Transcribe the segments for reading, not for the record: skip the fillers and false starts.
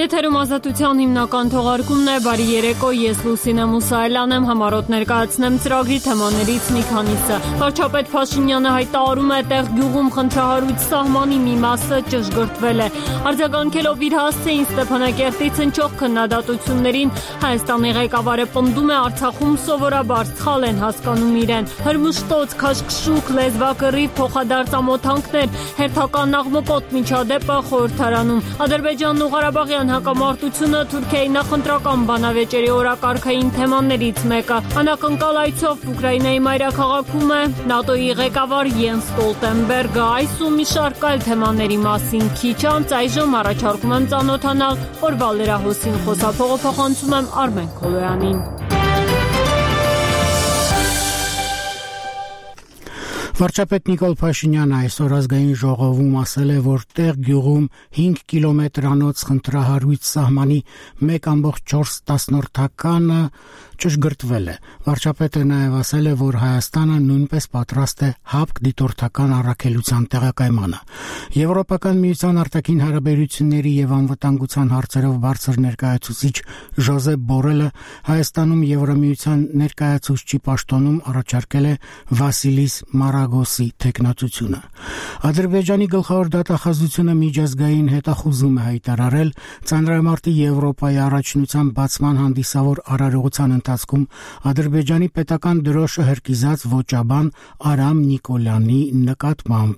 Եթերում ազատության հիմնական թողարկումն է, բարի երեկո, ես Լուսինե Մուսայելյան եմ, համառոտ ներկայացնեմ ծրագրի թեմաներից մի քանիսը։ Վարչապետ Փաշինյանը հայտարարում է, տեղ գյուղում խնդրահարույց սահմանի մի մասը ճշգրտվել է։ Արձագանքելով իր հասցեին Ստեփանակերտից հնչող քննադատություններին, Հայաստանի ղեկավարը պնդում է, Արցախում սովորաբար սխալ են հասկանում իրեն։ Հրմշտոց, քաշքշուկ, լեզվակռիվ, փոխադարձամոթանքներ, հերթական աղմկոտ միջադեպը խորհրդարանում։ Ադրբեջանն ու Ղարաբաղյան հակամարտությունը Թուրքիայի նախընտրական բանավեճերի օրակարգային թեմաներից մեկը։ Անակնկալ այցով Ուկրաինայի մայրաքաղաքում է ՆԱՏՕ-ի ղեկավար Յենս Ստոլտենբերգը։ Այս ու մի շարք այլ թեմաների մասին քիչ անց այժմ առաջարկում եմ ծանոթանալ օրվա լրահոսին, խոսափողոցում եմ Արմեն Քոլոյանին։ Վարչապետ Նիկոլ Փաշինյանը այսօր ազգային ժողովում ասել է, որ տեղ գյուղում 5 կիլոմետրանոց խնդրահարույց սահմանի 1,4 ճշգրտվել է։ Վարչապետը նաև ասել է, որ Հայաստանը նույնպես պատրաստ է հապկ դիտորդական առաքելության տեղակայմանը։ Եվրոպական միության արտաքին հարաբերությունների եւ անվտանգության հարցերով բարձր ներկայացուցիչ Ժոզեփ Բորելը Հայաստանում Եվրամիության ներկայացուցչի պաշտոնում առաջարկել է Վասիլիս Մարագոսի թեկնածությունը։ Ադրբեջանի գլխավոր դատախազությունը միջազգային հետախուզում է հայտարարել Ծանրամարտի Եվրոպայի առաջնության բացման հանդիսավոր արարողության ընթացքում Ադրբեջանի պետական դրոշը հրկիզած ոճաբան Արամ Նիկոլյանի նկատմամբ։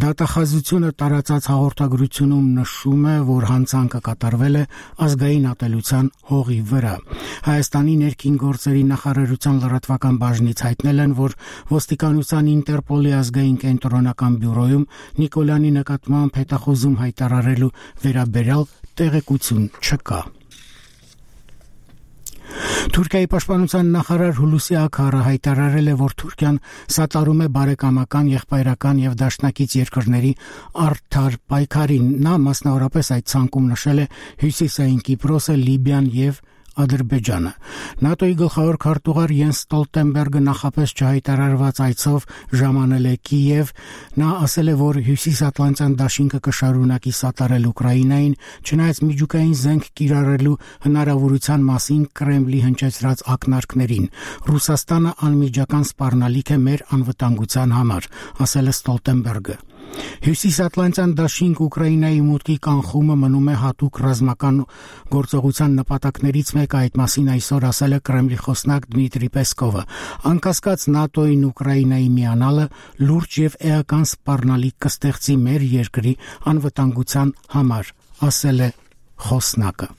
Դատախազությունը տարածած հաղորդագրությունում նշում է, որ հանցանքը կատարվել է ազգային ատելության հողի վրա։ Հայաստանի ներքին գործերի նախարարության լրատվական բաժնից հայտնել են, որ ոստիկանության Ինտերպոլի ազգային կենտրոնական բյուրոյում Նիկոլյանի նկատմամբ հետախուզում հայտարարելու վերաբերյալ տեղեկություն չկա։ Թուրքիայի պաշտպանության նախարար Հուլուսի Աքարը հայտարարել է, որ Թուրքիան սատարում է բարեկամական, եղբայրական եւ դաշնակից երկրների արդար պայքարին։ Նա մասնավորապես այդ ցանկում նշել է Հյուսիսային Կիպրոսը, Լիբիան եւ Ադրբեջանը։ ՆԱՏՕ-ի գլխավոր քարտուղար Յենս Ստոլտենբերգը նախապես չհայտարարված այցով ժամանել է Կիև։ Նա ասել է, որ Հյուսիսատլանտյան դաշինքը կշարունակի սատարել Ուկրաինային, չնայած միջուկային զենք կիրառելու հնարավորության մասին Կրեմլի հնչեցրած ակնարկներին։ Ռուսաստանը անմիջական սպառնալիք է մեր անվտանգության համար, ասել է Ստոլտենբերգը։ Հյուսիսատլանտյան դաշինք Ուկրաինայի մուտքի կանխումը մնում է հատուկ ռազմական գործողության նպատակներից մեկը, այդ մասին այսօր ասել է Կրեմլի խոսնակ Դմիտրի Պեսկովը։ Անկասկած ՆԱՏՕ-ին Ուկրաինայի միանալը լուրջ եւ էական սպառնալիք կստեղծի մեր երկրի անվտանգության համար, ասել է խոսնակը։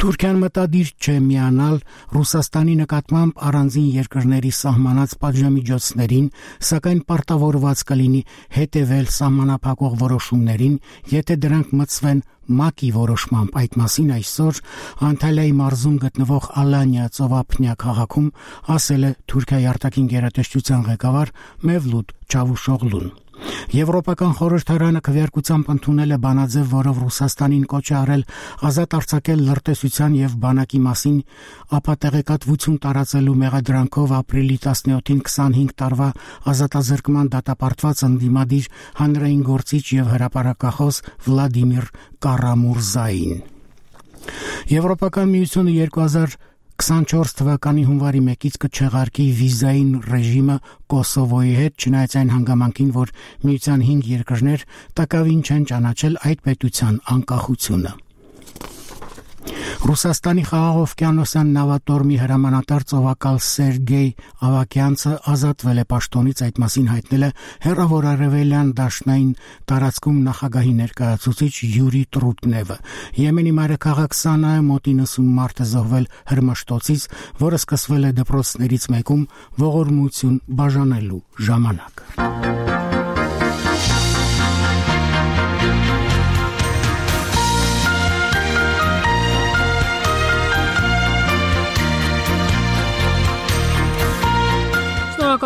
Թուրքիան մտադիր չէ միանալ Ռուսաստանի նկատմամբ առանձին երկրների սահմանած պատժամիջոցներին, սակայն պարտավորված կլինի հետևել սահմանափակող որոշումներին, եթե դրանք մտցվեն ՄԱԿ-ի որոշմամբ։ Այդ մասին այսօր Անտալիայի մարզում գտնվող Ալանիա ծովափնյա քաղաքում ասել է Թուրքիայի արտաքին գերատեսչության ղեկավար Մևլութ Չավուշօղլուն։ Եվրոպական խորհրդարանը քվեարկությամբ ընդունել է բանաձև, որով Ռուսաստանին կոչ է արել ազատ արձակել լրտեսության եւ բանակի մասին ապատեղեկատվություն տարածելու մեղադրանքով ապրիլի 17-ին 25 տարվա ազատազրկման դատապարտված ընդդիմադիր հանրային գործիչ եւ հրապարակախոս Վլադիմիր Կարամուրզային։ Եվրոպական միությունը 2024 թվականի հունվարի 1-ից կչեղարկի վիզային ռեժիմը Կոսովոյի հետ, չնայած այն հանգամանքին, որ միության 5 երկրներ տակավին չեն ճանաչել այդ պետության անկախությունը։ Ռուսաստանի խաղաղօվկիանոսյան նավատորմի հրամանատար ծովակալ Սերգեյ Ավակյանցը ազատվել է պաշտոնից, այդ մասին հայտնել է Հեռավոր Արևելյան դաշնային տարածքում նախագահի ներկայացուցիչ Յուրի Տրուտնևը։ Եմենի մայրաքաղաք Սանայում մոտ 90 մարդ է զոհվել հրմշտոցից, որը սկսվել է դպրոցներից մեկում ողորմություն բաժանելու ժամանակ։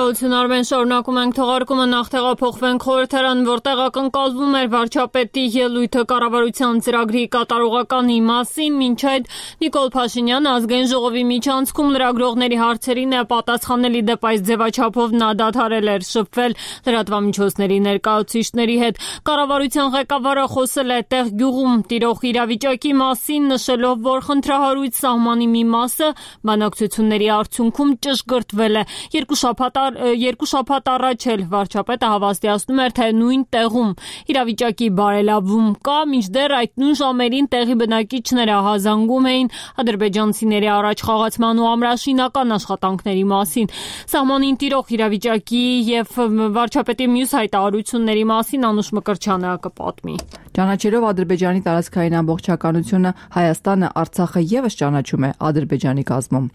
Շնորհակալություն Արմեն, շարունակում ենք թողարկումը, նախ տեղափոխվենք խորհրդարան, որտեղ ակնկալվում էր վարչապետի ելույթը կառավարության ծրագրի կատարողականի մասին, մինչ այդ Նիկոլ Փաշինյանը ազգային ժողովի միջանցքում լրագրողների հարցերին պատասխանել, ի դեպ այս ձևաչափով նա դադարել էր շփվել լրատվամիջոցների ներկայացուցիչների հետ։ Կառավարության ղեկավարը խոսել է տեղ գյուղում տիրող իրավիճակի մասին, նշելով, որ խնդրահարույց սահմանի մի մասը բանակցությունների արդյունքում ճշգրտվել է։ Երկու շաբաթ առաջ էլ վարչապետը հավաստիացնում էր, թե նույն տեղում իրավիճակի բարելավում կա, մինչդեռ այդ նույն ժամերին տեղի բնակիչները հազանգում էին ադրբեջանցիների առաջ խաղացման ու ամրաշինական աշխատանքների մասին։ Սահմանին տիրող իրավիճակի եւ վարչապետի մյուս հայտարարությունների մասին Անուշ Մկրտչյանը կպատմի։ Ճանաչելով Ադրբեջանի տարածքային ամբողջականությունը, Հայաստանը Արցախը եւս ճանաչում է Ադրբեջանի կազմում։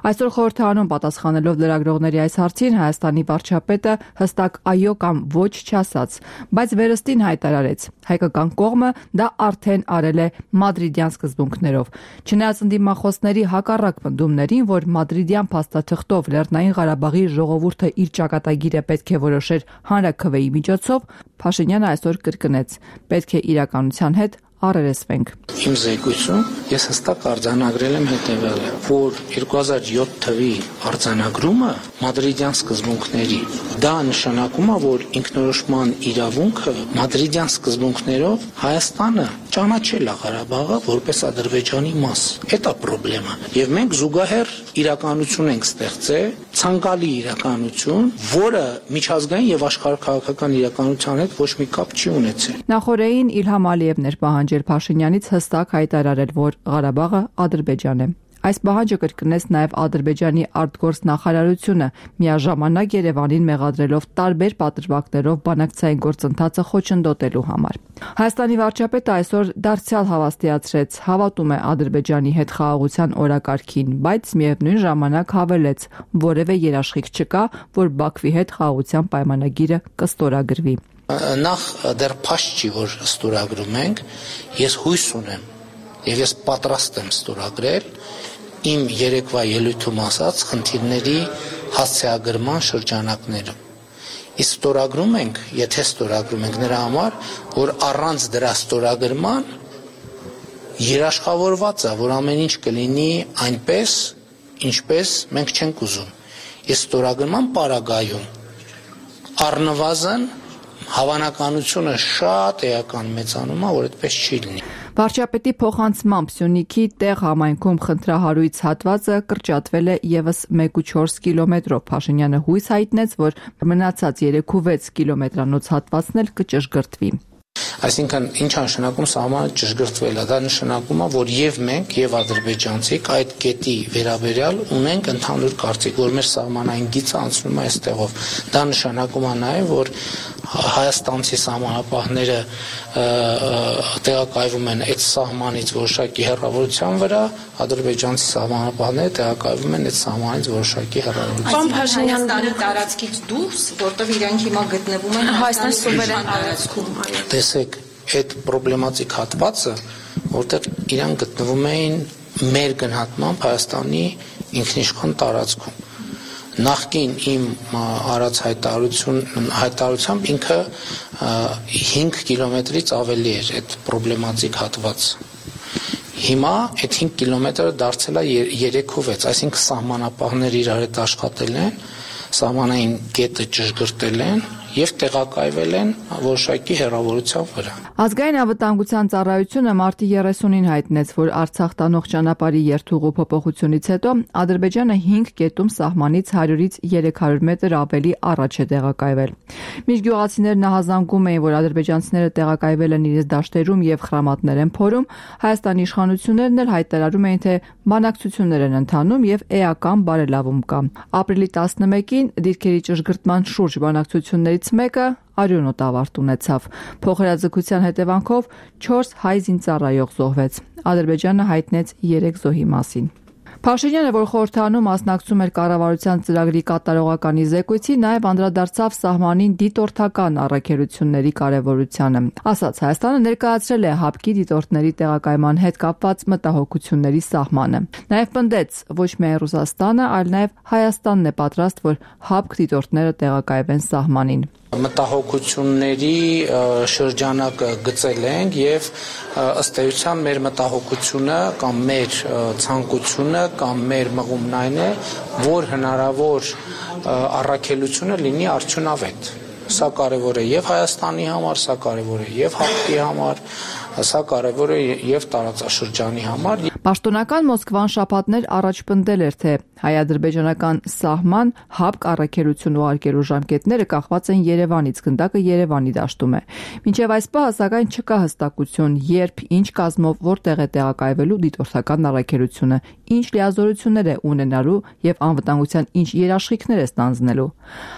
Այսօր խորհրդարանում պատասխանելով լրագրողների այս հարցին, Հայաստանի վարչապետը հստակ այո կամ ոչ չասաց, բայց վերստին հայտարարեց. հայկական կողմը դա արդեն արել է մադրիդյան սկզբունքներով։ Չնայած ընդդիմախոսների հակառակ պնդումներին, որ մադրիդյան փաստաթղթով Լեռնային Ղարաբաղի ժողովուրդը իր ճակատագիրը պետք է որոշեր հանրաքվեի միջոցով, Փաշինյանը այսօր կրկնեց. պետք է իրականության հետ առերեսվենք։ Իմ զեկույցում ես հստակ արձանագրել եմ հետևյալը, որ 2007 թվականի արձանագրումը մադրիդյան սկզբունքների, դա նշանակում է, որ ինքնորոշման իրավունքը մադրիդյան սկզբունքներով Հայաստանը ճանաչել է Ղարաբաղը որպես Ադրբեջանի մաս։ Դա պրոբլեմա։ Եվ մենք զուգահեռ իրականություն ենք ստեղծել, ցանկալի իրականություն, որը միջազգային եւ աշխարհաքաղաքական իրականության հետ ոչ մի կապ չի ունեցել։ Նախորդին Իլհամ Ալիևն էր պահանջել Փաշինյանից հստակ հայտարարել, որ Ղարաբաղը Ադրբեջան է։ Այս պահանջը կրկնեց նաև Ադրբեջանի արտգործ նախարարությունը, միաժամանակ Երևանին մեղադրելով տարբեր պատրվակներով բանակցային գործընթացը խոչընդոտելու համար։ Հայաստանի վարչապետը այսօր դարձյալ հավաստիացրեց, հավատում է Ադրբեջանի հետ խաղաղության օրակարգին, բայց միևնույն ժամանակ հավելեց, որևէ երաշխիք չկա, որ Բաքվի հետ խաղաղության պայմանագիրը կստորագրվի։ Նախ դեռ փաստ չի, որ ստորագրում ենք, ես հույս ունեմ եւ ես պատրաստ եմ ստորագրել իմ երեկվա ելույթում ասած խնդիրների հասցեագրման շրջանակներում։ Իսկ ստորագրում ենք, եթե ստորագրում ենք նրա համար, որ առանց դրա ստորագրման երաշխավորված է, որ ամեն ինչ կլինի այնպես, ինչպես մենք չենք ուզում։ Իսկ ստորագրման պարագայում առնվազն հավանականությունը շատ էական մեծանում է, որ այդպես չի լինի։ Վարչապետի փոխանցմամբ Սյունիքի տեղ համայնքում խնդրահարույց հատվածը կրճատվել է եւս 1.4 կիլոմետրով։ Փաշինյանը հույս հայտնեց, որ մնացած 3.6 կիլոմետրանոց հատվածն էլ կճշգրտվի։ Այսինքն ինչ նշանակում սահմանը ճշգրտվել է, դա նշանակում է, որ եւ մենք եւ ադրբեջանցիք այդ կետի վերաբերյալ ունենք ընդհանուր կարծիք, որ մեր սահմանային գիծը անցնում է այստեղով։ Դա նշանակում է նաեւ, որ հայաստանցի սահմանապահները տեղակայվում են այդ սահմանից որոշակի հեռավորության վրա, ադրբեջանցի սահմանապահները տեղակայվում են այդ սահմանից որոշակի հեռավորության։ Հայաստանի տարածքից դուրս, որտեղ իրանք հիմա գտնվում են Հայաստանի սուվերեն տարածքում։ Տեսեք, այդ պրոբլեմատիկ հատվածը, որտեղ իրան գտնվում էին մեր գնահատմամբ Հայաստանի ինքնիշխան տարածքում։ Նախկին իմ արած հայտարարությամբ ինքը 5 կիլոմետրից ավելի էր այդ պրոբլեմատիկ հատվածը։ Հիմա այդ 5 կիլոմետրը դարձել է 3.6, այսինքն սահմանապահները իրար հետ աշխատել են, սահմանային կետը ճշգրտել են եւ տեղակայվել են որոշակի հեռավորության վրա։ Ազգային անվտանգության ծառայությունը մարտի 30-ին հայտնեց, որ Արցախ տանող ճանապարհի երթուղու փոփոխությունից հետո Ադրբեջանը 5 կետում սահմանից 100-ից 300 մետր ավելի առաջ է տեղակայվել։ Միջգյուղացիներն ահազանգում էին, որ ադրբեջանցիները տեղակայվել են իրենց դաշտերում եւ խրամատներ են փորում, Հայաստանի իշխանություններն էլ հայտարարում էին, թե բանակցություններ են ընթանում եւ էական բարելավում կա։ Ապրիլի 11-ին դիրքերի ճշգրտման շուրջ բանակցություններից մեկը արյունոտ ավարտ ունեցավ։ Փոխհրաձգության հետևանքով 4 հայ զինծառայող զոհվեց։ Ադրբեջանը հայտնեց 3 զոհի մասին։ Փաշինյանը, որ խորհրդարանում մասնակցում էր կառավարության ծրագրի կատարողականի զեկույցի, նաև անդրադարձավ սահմանին դիտորդական առաքելությունների կարևորությանը։ Ասաց, Հայաստանը ներկայացրել է ՀԱՊԿ-ի դիտորդների տեղակայման հետ կապված մտահոգությունների սահմանը։ Նաև պնդեց, ոչ միայն Ռուսաստանը, այլ նաև Հայաստանն է պատրաստ, որ ՀԱՊԿ դիտորդները տեղակայվեն սահմանին։ Մտահոգությունների շրջանակը գծել ենք եւ ըստ էության մեր մտահոգությունը կամ մեր ցանկությունը կամ մեր մղումն այն է, որ հնարավոր առաքելությունը լինի արդյունավետ։ Սա կարևոր է եւ Հայաստանի համար, սա կարևոր է եւ ՀԱՊԿ-ի համար, սա կարևոր է եւ տարածաշրջանի համար։ Պաշտոնական Մոսկվան շաբաթներ առաջ պնդել էր, թե հայ-ադրբեջանական սահման ՀԱՊԿ առաքելություն ուղարկելու ժամկետները կախված են Երևանից, գնդակը Երևանի դաշտում է։ Մինչև այս պահը սակայն չկա հստակություն, երբ, ինչ կազմով, որտեղ է տեղակայվելու դիտորդական առաքելությունը, ինչ լիազորություններ է ունենալու եւ անվտանգության ինչ երաշխիքներ է ստանձնելու։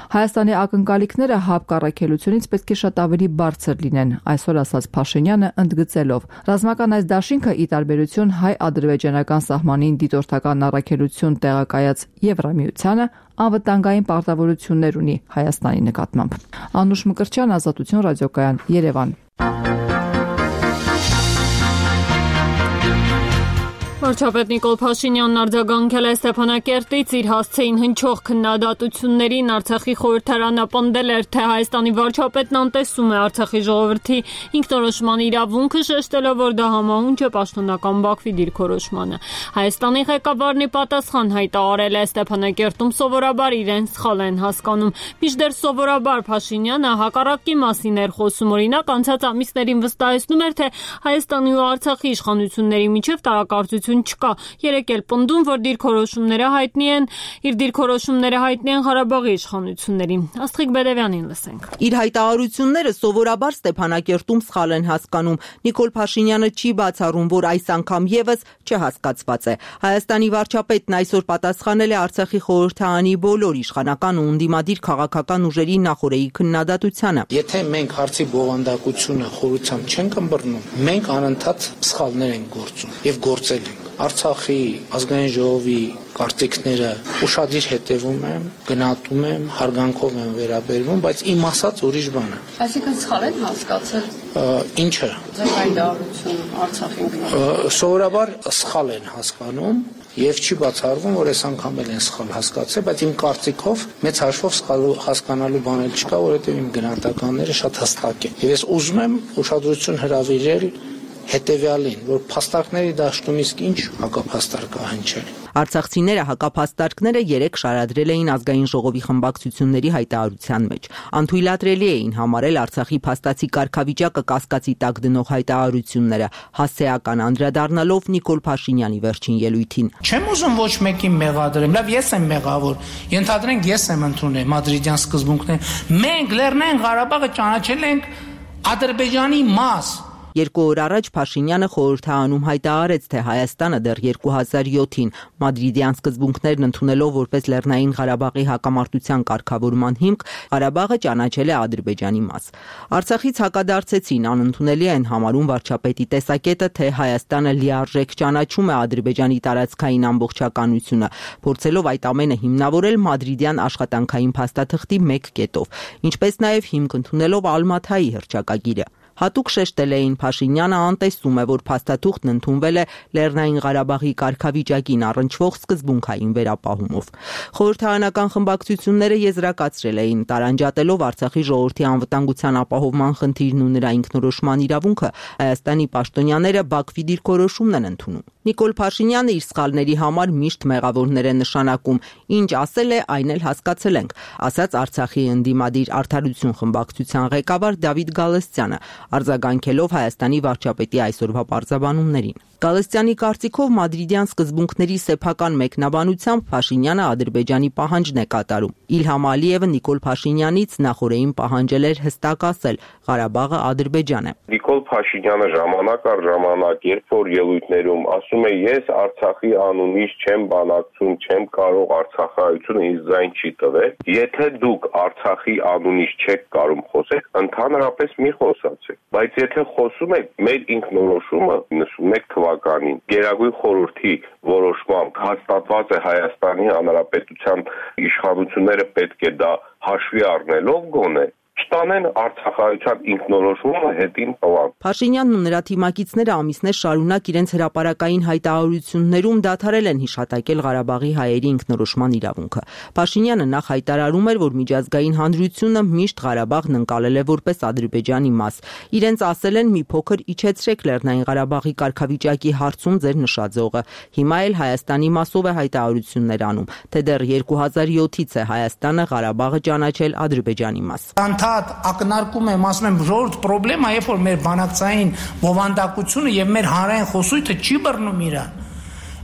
Հայաստանի ակնկալիքները ՀԱՊԿ առաքելությունից պետք է շատ ավելի բարձր լինեն, այսօր ասաց Փաշինյանը ընդգծելով. ռազմական այս դաշինքը ի տարբերություն հայ-ադրբեջանական սահմանին դիտորդական առաքելություն տեղակայած Եվրամիությանը անվտանգային պարտավորություններ ունի Հայաստանի նկատմամբ։ Անուշ Մկրտչյան, Ազատություն ռադիոկայան, Երևան։ Վարչապետ Նիկոլ Փաշինյանն արձագանքել է Ստեփանակերտից իր հասցեին հնչող քննադատություններին։ Արցախի խորհրդարանը պնդել էր, թե Հայաստանի վարչապետն անտեսում է Արցախի ժողովրդի ինքնորոշման իրավունքը, շեշտելով, որ դա համահունչ է պաշտոնական Բաքվի դիրքորոշմանը։ Հայաստանի ղեկավարն ի պատասխան հայտարարել է Ստեփանակերտում սովորաբար իրեն սխալ են հասկանում։ Մինչդեռ սովորաբար Փաշինյանը հակառակի մասին էր խոսում, օրինակ անցած ամիսներին վստահեցնում էր, թե Հայաստանի ու Արցախի իշխանությունների միջև տարակարծություն չկա։ Երեկ էլ պնդում, որ դիրքորոշումները հայտնի են Ղարաբաղի իշխանություններին։ Աստղիկ Բեդևյանին լսենք։ Իր հայտարարությունները սովորաբար Ստեփանակերտում սխալ են հասկանում։ Նիկոլ Փաշինյանը չի բացառում, որ այս անգամ եւս չհասկացված է։ Հայաստանի վարչապետն այսօր պատասխանել է Արցախի խորհրդարանի բոլոր իշխանական ու ընդդիմադիր քաղաքական ուժերի նախօրեի քննադատությանը։ Եթե մենք հարցի բովանդակությունը խորությամբ չենք ըմբռնում, մենք անընդհատ սխալներ ենք գործում եւ գործել ենք։ Արցախի ազգային ժողովի կարծիքները ուշադիր հետևում եմ, գնահատում եմ, հարգանքով եմ վերաբերվում, բայց իմ ասած ուրիշ բան է։ Այսինքն սխալ են հասկացել։ Ինչը։ Ձեր հայտարարությունը Արցախի Սովորաբար սխալ են հասկանում եւ չի բացառվում, որ այս անգամ էլ են սխալ հասկացել, բայց իմ կարծիքով մեծ հաշվով սխալ հասկանալու բան էլ չկա, որովհետեւ իմ գնահատականները շատ հստակ են։ Եվ ես ուզում եմ ուշադրություն հրավիրել հետևյալին, որ փաստարկների դաշտում իսկ ինչ հակափաստարկ կա հնչել։ Արցախցիները հակափաստարկները երեք շարադրել էին ազգային ժողովի խմբակցությունների հայտարարության մեջ։ Անթույլատրելի էին համարել Արցախի փաստացի կարգավիճակը կասկածի տակ դնող հայտարարությունները, հասցեական անդրադառնալով Նիկոլ Փաշինյանի վերջին ելույթին։ Չեմ ուզում ոչ մեկին մեղադրեմ, լավ ես եմ մեղավոր։ Ենթադրենք ես եմ ընդունել մադրիդյան սկզբունքները։ Մենք Լեռնային Ղարաբաղը ճանաչել ենք Ադրբեջանի մաս։ 2 օր առաջ Փաշինյանը խորհրդարանում հայտարարեց, թե Հայաստանը դեռ 2007-ին մադրիդյան սկզբունքներն ընդունելով որպես Լեռնային Ղարաբաղի հակամարտության կարգավորման հիմք, Ղարաբաղը ճանաչել է Ադրբեջանի մաս։ Արցախից հակադարձեցին, անընդունելի են համարում վարչապետի տեսակետը, թե Հայաստանը լիարժեք ճանաչում է Ադրբեջանի տարածքային ամբողջականությունը, փորձելով այդ ամենը հիմնավորել մադրիդյան աշխատանքային փաստաթղթի 1 կետով, ինչպես նաև հիմք ընդունելով Ալմաթայի հռչակագիրը։ Հատուկ շեշտել էին Փաշինյանը անտեսում է, որ փաստաթուղթն ընդունվել է Լեռնային Ղարաբաղի կարգավիճակին առնչվող սկզբունքային վերապահումով։ Խորհրդարանական խմբակցությունները եզրակացրել էին, տարանջատելով Արցախի ժողովրդի անվտանգության ապահովման խնդիրն ու նրա ինքնորոշման իրավունքը, Հայաստանի պաշտոնյաները Բաքվի դիրքորոշումն են ընդունում։ Նիկոլ Փաշինյանը իր սխալների համար միշտ մեղավորներ է նշանակում, ինչ ասել է, այն էլ հասկացել ենք, ասաց Արցախի ընդդիմադիր Արդարություն խմբակցության ղեկավար Դավիթ Գալստյանը, արձագանքելով Հայաստանի վարչապետի այսօրվա պարզաբանումներին։ Գալստյանի կարծիքով մադրիդյան սկզբունքների սեփական մեկնաբանությամբ Փաշինյանը Ադրբեջանի պահանջն է կատարում։ Իլհամ Ալիևը Նիկոլ Փաշինյանից նախորդին պահանջել էր հստակ ասել Ղարաբաղը Ադրբեջան է։ Նիկոլ Փաշինյանը ժամանակ առ ժամանակ, երբ որ ելույթներում ասում ասում է ես Արցախի անունից չեմ բանակցում, չեմ կարող Արցախայությունը ինձ ձայն չի տվել։ Եթե դուք Արցախի անունից չեք կարող խոսել, ընդհանրապես մի խոսացեք։ Բայց եթե խոսում եք մեր ինքնորոշումը 91 թվականին Գերագույն խորհրդի որոշմամբ հաստատված է Հայաստանի Հանրապետության իշխանությունները պետք է դա հաշվի առնելով գոնե չտանեն Արցախայության ինքնորոշումը հետին տվան։ Փաշինյանն ու նրա թիմակիցները ամիսներ շարունակ իրենց հրապարակային հայտարարություններում դադարել են հիշատակել Ղարաբաղի հայերի ինքնորոշման իրավունքը։ Փաշինյանը նախ հայտարարում էր, որ միջազգային հանրությունը միշտ Ղարաբաղն ընկալել է որպես Ադրբեջանի մաս։ Իրենց ասել են՝ մի փոքր իջեցրեք Լեռնային Ղարաբաղի կարգավիճակի հարցում ձեր նշաձողը։ Հիմա էլ Հայաստանի մասով է հայտարարություններ անում, թե դեռ 2007-ից է Հայաստանը Ղարաբաղը ճանաչել Ադրբեջանի մաս։ Ակնարկում եմ, ասում եմ, ժողովուրդ պրոբլեմա, երբ որ մեր բանակցային բովանդակությունը եւ մեր հանրային խոսույթը չի բռնում իրան։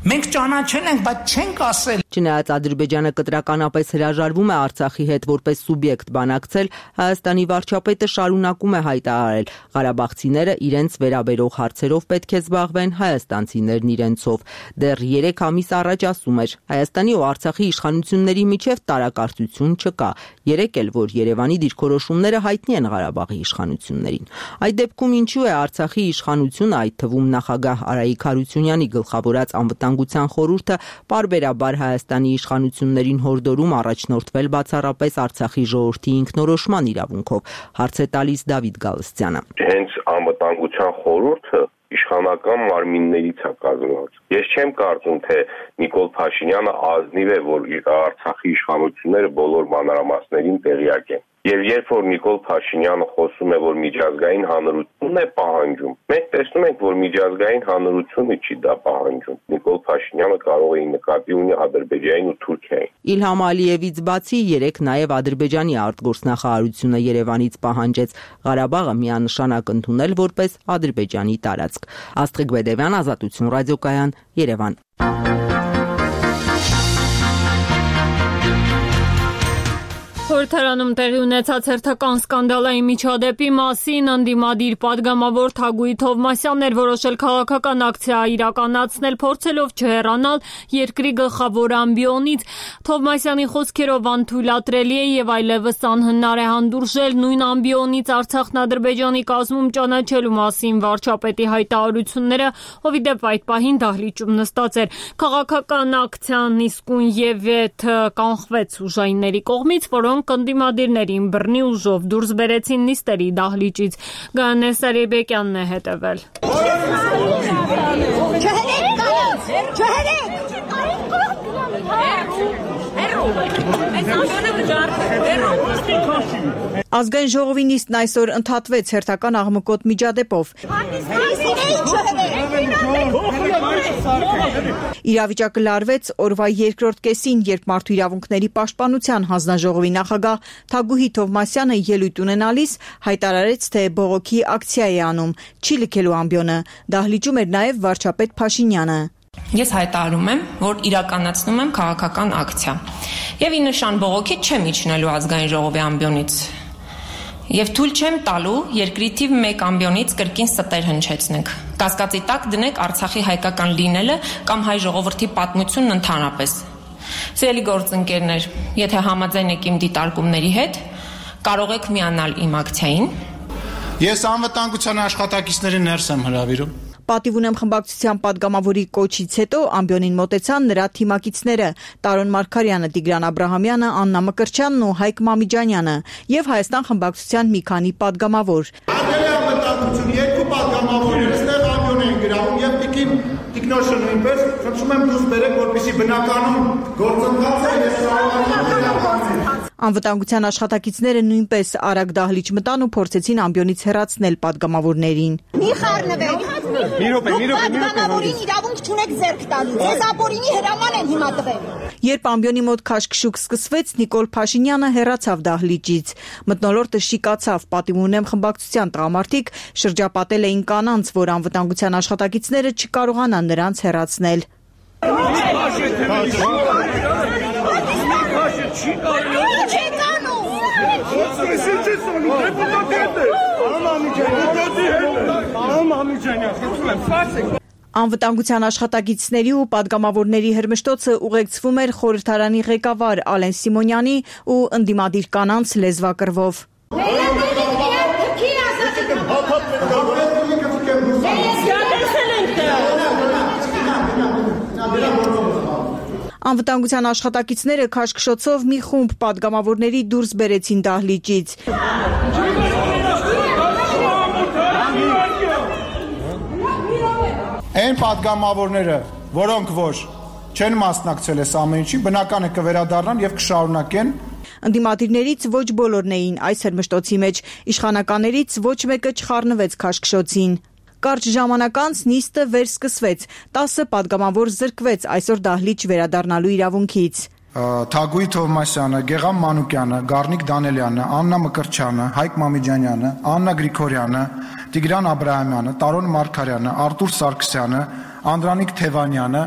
Մենք ճանաչել ենք, բայց չենք ասել։ Չնայած Ադրբեջանը կտրականապես հրաժարվում է Արցախի հետ որպես սուբյեկտ բանակցել, Հայաստանի վարչապետը շարունակում է հայտարարել՝ ղարաբաղցիները իրենց վերաբերող հարցերով պետք է զբաղվեն, հայաստանցիներն իրենցով։ Դեռ 3 ամիս առաջ ասում էր՝ Հայաստանի ու Արցախի իշխանությունների միջև տարակարծություն չկա։ Երեկ էլ, որ Երևանի դիրքորոշումները հայտնի են Ղարաբաղի իշխանություններին։ Այդ դեպքում ինչու է Արցախի իշխանությունը, այդ թվում նախագահ Արայիկ Հարությունյանի գլխավորած անվտանգության խորհուրդը պարբերաբար Հայաստանի իշխանություններին հորդորում առաջնորդվել բացառապես Արցախի ժողովրդի ինքնորոշման իրավունքով, հարց է տալիս Դավիթ Գալստյանը։ Հենց անվտանգության խորհուրդը իշխանական մարմիններից է կազմված։ Ես չեմ կարծում, թե Նիկոլ Փաշինյանը ազնիվ է, որ Արցախի իշխանությունները բոլոր մանրամասներին տեղյակ են։ Եվ երբ որ Նիկոլ Փաշինյանը խոսում է, որ միջազգային հանրությունն է պահանջում, մենք տեսնում ենք, որ միջազգային հանրությունը չի դա պահանջում։ Նիկոլ Փաշինյանը կարող է նկատի ունի Ադրբեջանին ու Թուրքիային։ Իլհամ Ալիևից բացի երեք նաև Ադրբեջանի արտգործնախարարությունը Երևանից պահանջեց Ղարաբաղը միանշանակ ընդունել որպես Ադրբեջանի տարածք։ Աստղիկ Բեդևյան, Ազատություն ռադիոկայան, Երևան։ Խորհրդարանում տեղի ունեցած հերթական սկանդալային միջադեպի մասին ընդդիմադիր պատգամավոր Թագուհի Թովմասյանն էր որոշել քաղաքական ակցիա իրականացնել, փորձելով չհեռանալ երկրի գլխավոր ամբիոնից։ Թովմասյանի խոսքերով անթույլատրելի է եւ այլևս անհնար է հանդուրժել նույն ամբիոնից Արցախն Ադրբեջանի կազմում ճանաչելու մասին վարչապետի հայտարարությունները, ով ի դեպ այդ պահին դահլիճում նստած էր։ Քաղաքական ակցիան իսկույն եւ եթ կանխվեց ուժայինների կողմից, որոնք ընդդիմադիրներին բռնի ուժով դուրս բերեցին նիստերի դահլիճից։ Գայանե Սարիբեկյանն է հետևել։ Ազգային ժողովի նիստն այսօր ընդհատվեց հերթական աղմկոտ միջադեպով։ Իրավիճակը լարվեց օրվա երկրորդ կեսին, երբ Մարդու իրավունքների պաշտպանության հանձնաժողովի նախագահ Թագուհի Թովմասյանը ելույթ ունենալիս հայտարարեց, թե բողոքի ակցիա է անում, չի լքելու ամբիոնը։ Դահլիճում էր նաև վարչապետ Փաշինյանը։ Ես հայտարարում եմ, որ իրականացնում եմ քաղաքական ակցիա եւ ի նշան բողոքի չեմ իջնելու ազգային ժողովի ամբիոնից եւ թույլ չեմ տալու երկրի թիվ 1 ամբիոնից կրկին ստեր հնչեցնենք։ Կասկածի տակ դնեք Արցախի հայկական լինելը կամ հայ ժողովրդի պատմությունն ընդհանրապես։ Սիրելի գործընկերներ, եթե համաձայն եք իմ դիտարկումների հետ, կարող եք միանալ իմ ակցիային։ Ես անվտանգության աշխատակիցներին ներս եմ հրավիրում։ Պատիվ ունեմ խմբակցության падգամավորի կոչից հետո ամբիոնին մոտեցան նրա թիմակիցները Տարոն Մարգարյանը, Տիգրան Աբրահամյանը, Աննա Մկրտչյանն ու Հայկ Մամիջանյանը եւ Հայաստան խմբակցության մի քանի падգամավոր։ Անվտանգություն երկու падգամավորներ այստեղ ամբիոն են գրավում եւ տիկնոշը նույնպես խնդրում եմ դուրս բերեք, որպեսզի բնականon գործընթացը Անվտանգության աշխատակիցները նույնպես արագ դահլիճ մտան ու փորձեցին ամբիոնից հեռացնել падգամավորներին։ Մի խառնվեք։ Մի րոպե։ Падգամավորին իրավունք չունեք ձեռք տալու։ Ձեզ ապօրինի հրաման են հիմա տվել։ Երբ ամբիոնի մոտ քաշքշուկ սկսվեց, Նիկոլ Փաշինյանը հեռացավ դահլիճից։ Մթնոլորտը շիկացավ, պատիվ ունեմ խմբակցության տղամարդիկ շրջապատել էին կանանց, որ անվտանգության աշխատակիցները չկարողանան նրանց հեռացնել։ Անվտանգության աշխատակիցների ու падգամավորների հրմշտոցը ուղեկցվում էր խորհրդարանի ղեկավար Ալեն Սիմոնյանի ու ընդդիմադիր կանանց լեզվակռվով։ Անվտանգության աշխատակիցները քաշքշոցով մի խումբ падգամավորների դուրս բերեցին դահլիճից։ Այն падգամավորները, որոնք որ չեն մասնակցել այս ամեն ինչին, բնական է կվերադառնան եւ կշարունակեն։ Ընդդիմադիրներից ոչ բոլորն էին այս հրմշտոցի մեջ, իշխանականներից ոչ մեկը չխառնվեց քաշքշոցին։ Կարճ ժամանակ անց նիստը վերսկսվեց, 10 падգամավոր զրկվեց այսօր դահլիճ վերադառնալու իրավունքից։ Թագուհի Թովմասյանը, Գեգամ Մանուկյանը, Գառնիկ Դանելյանը, Աննա Մկրտչյանը, Հայկ Մամիջանյանը, Աննա Գրիգորյանը, Տիգրան Աբրահամյանը, Տարոն Մարգարյանը, Արտուր Սարգսյանը, Անդրանիկ Թևանյանը։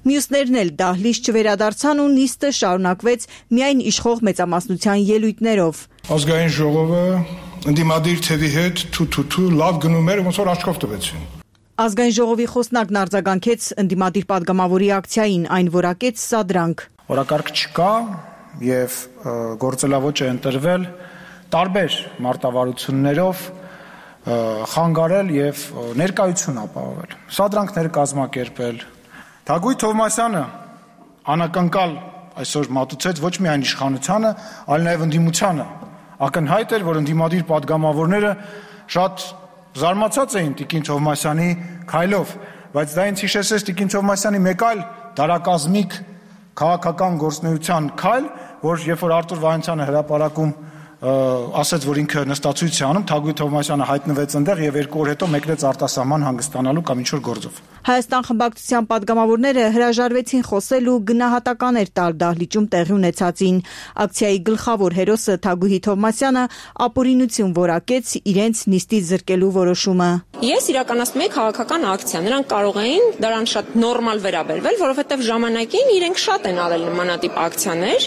Մյուսներն էլ դահլիճ չվերադարձան ու նիստը շարունակվեց միայն իշխող մեծամասնության ելույթներով։ Ազգային ժողովը ընդդիմադիր թևի հետ թու լավ գնում էր, ոնց որ աչքով տվեցին։ Ազգային ժողովի խոսնակն արձագանքեց ընդդիմադիր падգամավորի ակցիային, այն որակեց սադրանք։ Օրակարգ չկա եւ գործելավոճ է ընտրվել տարբեր մարտավարություններով խանգարել եւ ներկայություն ապահովել։ Սադրանքներ կազմակերպել։ Թագուհի Թովմասյանը անակնկալ այսօր մատուցեց ոչ միայն իշխանությանը, այլ նաեւ ընդդիմությանը։ Ակնհայտ էր, որ ընդդիմադիր падգամավորները շատ զարմացած էին Տիկին Թովմասյանի քայլով, բայց դա ինձ հիշեցրեց Տիկին Թովմասյանի մեկ այլ դարակազմիկ քաղաքական գործունեության քայլ, որ երբ որ Արտուր Վահանցյանը հրապարակում ասաց, որ ինքը նստացույց է անում, Թագուհի Թովմասյանը հայտնվեց այնտեղ եւ 2 օր հետո մեկնեց արտասահման հանգստանալու կամ ինչ-որ գործով։ Հայաստան խմբակցության падգամավորները հրաժարվեցին խոսել ու գնահատականներ տալ դահլիճում տեղի ունեցածին։ Ակցիայի գլխավոր հերոսը Թագուհի Թովմասյանը ապօրինություն որակեց իրենց նիստից զրկելու որոշումը։ Ես իրականացնում եի քաղաքական ակցիա, նրանք կարող էին դրան շատ նորմալ վերաբերվել, որովհետև ժամանակին իրենք շատ են արել նմանատիպ ակցիաներ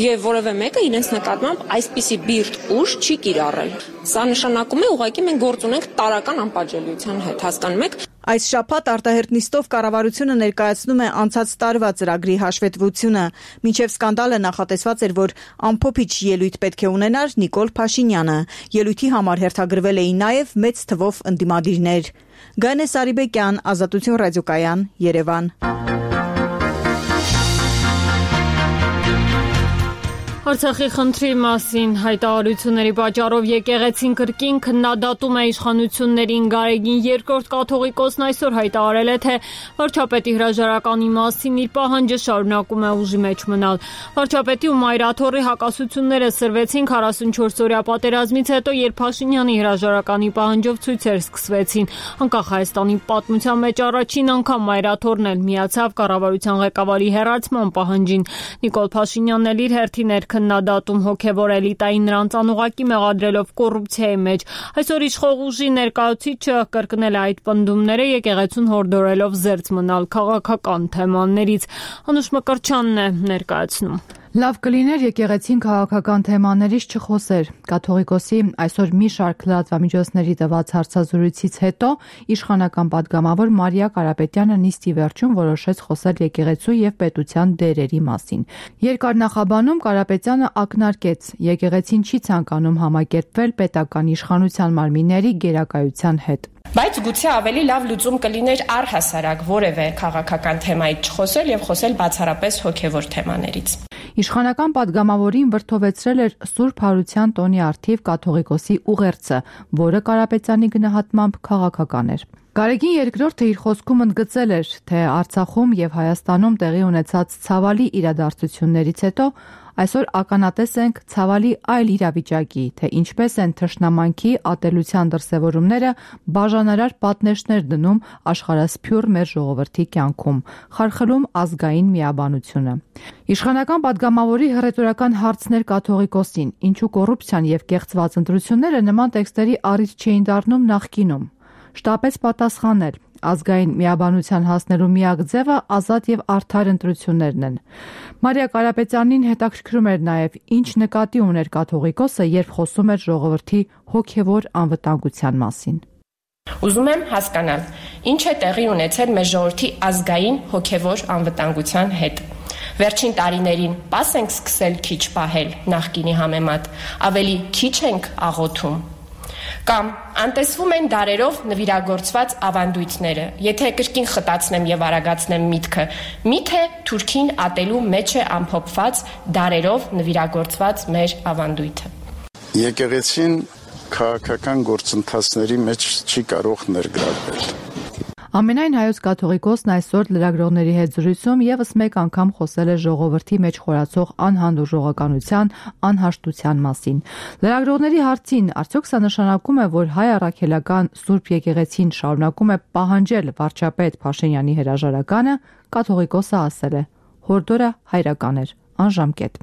եւ որևէ մեկը իրենց նկատմամբ այսպիսի բիրտ ուժ չի կիրառել։ Սա նշանակում է ուղղակի մենք գործ ունենք տարական անպատժելիության հետ, հասկանում եք։ Այս շաբաթ արտահերթ նիստով կառավարությունը ներկայացնում է անցած տարվա ծրագրի հաշվետվությունը։ Մինչև սկանդալը նախատեսված էր, որ ամփոփիչ ելույթ պետք է ունենար Նիկոլ Փաշինյանը։ Ելույթի համար հերթագրվել էին նաև մեծ թվով ընդդիմադիրներ։ Գանե Սարիբեկյան, Ազատություն ռադիոկայան, Երևան։ Արցախի խնդրի մասին հայտարարությունների պատճառով եկեղեցին կրկին քննադատում է իշխանություններին։ Գարեգին II կաթողիկոսն այսօր հայտարարել է, թե վարչապետի հրաժարականի մասին իր պահանջը շարունակում է ուժի մեջ մնալ։ Վարչապետի ու Մայրաթորի հակասությունները սրվեցին 44-օրյա պատերազմից հետո, երբ Փաշինյանի հրաժարականի պահանջով ցույցեր սկսվեցին։ Անկախ Հայաստանի պատմության մեջ առաջին անգամ Մայրաթորն էլ միացավ կառավարության ղեկավարի հեռացման պահանջին։ Նիկոլ Փաշինյանն էլ իր հերթին քննադատում հոգևոր էլիտային նրանց անուղակի մեղադրելով կոռուպցիայի մեջ։ Այսօր իշխող ուժի ներկայացուցիչը կրկնել է այդ պնդումները, եկեղեցուն հորդորելով զերծ մնալ քաղաքական թեմաներից։ Անուշ Մկրտչյանն է ներկայացնում։ Լավ կլիներ եկեղեցին քաղաքական թեմաներից չխոսեր։ Կաթողիկոսի այսօր մի շարք լրատվամիջոցների տված հարցազրույցից հետո իշխանական падգամավոր Մարիա Կարապետյանը նիստի վերջում որոշեց խոսել եկեղեցու եւ պետության դերերի մասին։ Երկար նախաբանում Կարապետյանը ակնարկեց. եկեղեցին չի ցանկանում համակերպվել պետական իշխանության մարմինների գերակայության հետ։ Բայց գուցե ավելի լավ լուծում կլիներ առհասարակ որևէ քաղաքական թեմայից չխոսել եւ խոսել բացառապես հոգեվոր թեմաներից։ Իշխանական падգամավորին վրդովեցրել էր Սուրբ Հարության տոնի առթիվ կաթողիկոսի ուղերձը, որը Կարապետյանի գնահատմամբ քաղաքական էր։ Գարեգին II իր խոսքում ընդգծել էր, թե Արցախում եւ Հայաստանում տեղի ունեցած ցավալի իրադարձություններից հետո այսօր ականատես ենք ցավալի այլ իրավիճակի, թե ինչպես են թշնամանքի ատելության դրսևորումները բաժանարար պատնեշներ դնում աշխարհասփյուռ մեր ժողովրդի կյանքում, խարխլում ազգային միաբանությունը։ Իշխանական падգամավորի հռետորական հարցներ կաթողիկոսին, ինչու կոռուպցիան եւ կեղծված ընտրությունները նման տեքստերի առիթ չէին դառնում նախկինում։ Շտապեց պատասխանել. ազգային միաբանության հասնելու միակ ձևը ազատ եւ արդար ընտրություններն են։ Մարիա Կարապետյանին հետաքրքրում էր նաեւ ինչ նկատի ուներ կաթողիկոսը, երբ խոսում էր ժողովրդի հոգեվոր անվտանգության մասին։ Ուզում եմ հասկանալ, ինչ է տեղի ունեցել մեր ժողովրդի ազգային հոգևոր անվտանգության հետ։ Վերջին տարիներին պաս ենք սկսել քիչ պահել նախկինի համեմատ, ավելի քիչ ենք աղոթում։ Կամ անտեսվում են դարերով նվիրագործված ավանդույթները։ Եթե կրկին խտացնեմ եւ արագացնեմ միտքը, միթե Թուրքին ատելու մեջ է ամփոփված դարերով նվիրագործված մեր ավանդույթը։ Եկեղեցին քաղաքական գործընթացների մեջ չի կարող ներգրավվել։ Ամենայն հայոց կաթողիկոսն այսօր լրագրողների հետ զրույցում եւս մեկ անգամ խոսել է ժողովրդի մեջ խորացող անհանդուրժողականության, անհաշտության մասին։ Լրագրողների հարցին, արդյոք սա նշանակում է, որ հայ առաքելական Սուրբ եկեղեցին շարունակում է պահանջել վարչապետ Փաշինյանի հրաժարականը, կաթողիկոսը ասել է. հորդորը հայրական էր, անժամկետ։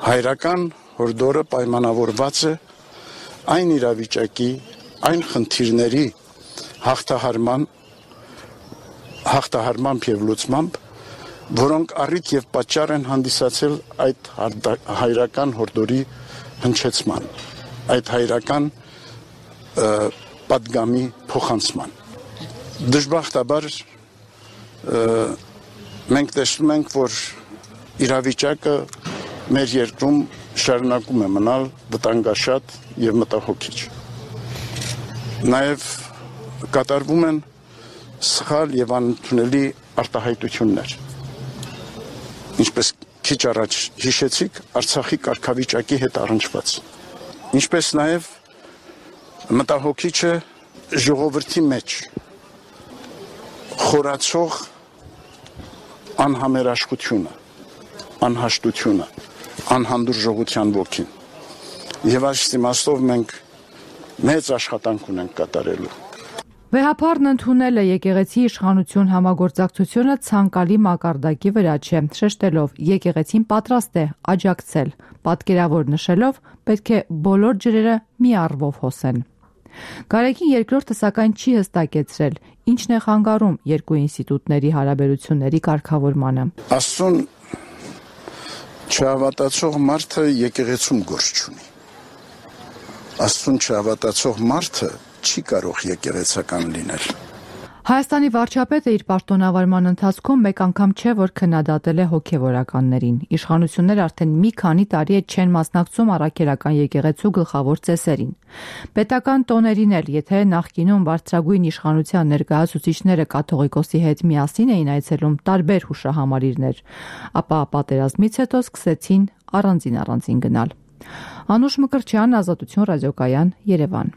Հայրական հորդորը պայմանավորված է այն իրավիճակի, այն խնդիրների հաղթահարմամբ եւ լուծմամբ, որոնք առիթ եւ պատճառ են հանդիսացել այդ հայրական հորդորի հնչեցման, այդ հայրական պատգամի փոխանցման։ Դժբախտաբար մենք տեսնում ենք, որ իրավիճակը մեր երկրում շարունակում է մնալ վտանգաշատ եւ մտահոգիչ։ Նաեւ կատարվում են սխալ եւ անընդունելի արտահայտություններ։ Ինչպես քիչ առաջ հիշեցիք, Արցախի կարգավիճակի հետ առնչված։ Ինչպես նաեւ մտահոգիչ է ժողովրդի մեջ խորացող անհամերաշխությունը, անհաշտությունը, անհանդուրժողության ոգին։ Եվ այս իմաստով մենք մեծ աշխատանք ունենք կատարելու։ Վեհափառն ընդունել է եկեղեցի իշխանություն համագործակցությունը ցանկալի մակարդակի վրա չէ, շեշտելով եկեղեցին պատրաստ է աջակցել, պատկերավոր նշելով պետք է բոլոր ջրերը մի առվով հոսեն։ Գարեգին երկրորդը սակայն չի հստակեցրել, ինչն է խանգարում երկու ինստիտուտների հարաբերությունների կարգավորմանը։ Աստծուն չհավատացող մարդը եկեղեցում գործ չունի։ Աստծուն չհավատացող մարդը չի կարող եկեղեցական լինել։ Հայաստանի վարչապետը իր պաշտոնավարման ընթացքում մեկ անգամ չէ, որ քննադատել է հոգևորականներին։ Իշխանությունները արդեն մի քանի տարի է չեն մասնակցում առաքելական եկեղեցու գլխավոր ծեսերին։ Պետական տոներին էլ, եթե նախկինում բարձրագույն իշխանության ներկայացուցիչները կաթողիկոսի հետ միասին էին այցելում տարբեր հուշահամալիրներ, ապա պատերազմից հետո սկսեցին առանձին գնալ։ Անուշ Մկրտչյան, Ազատություն ռադիոկայան, Երևան։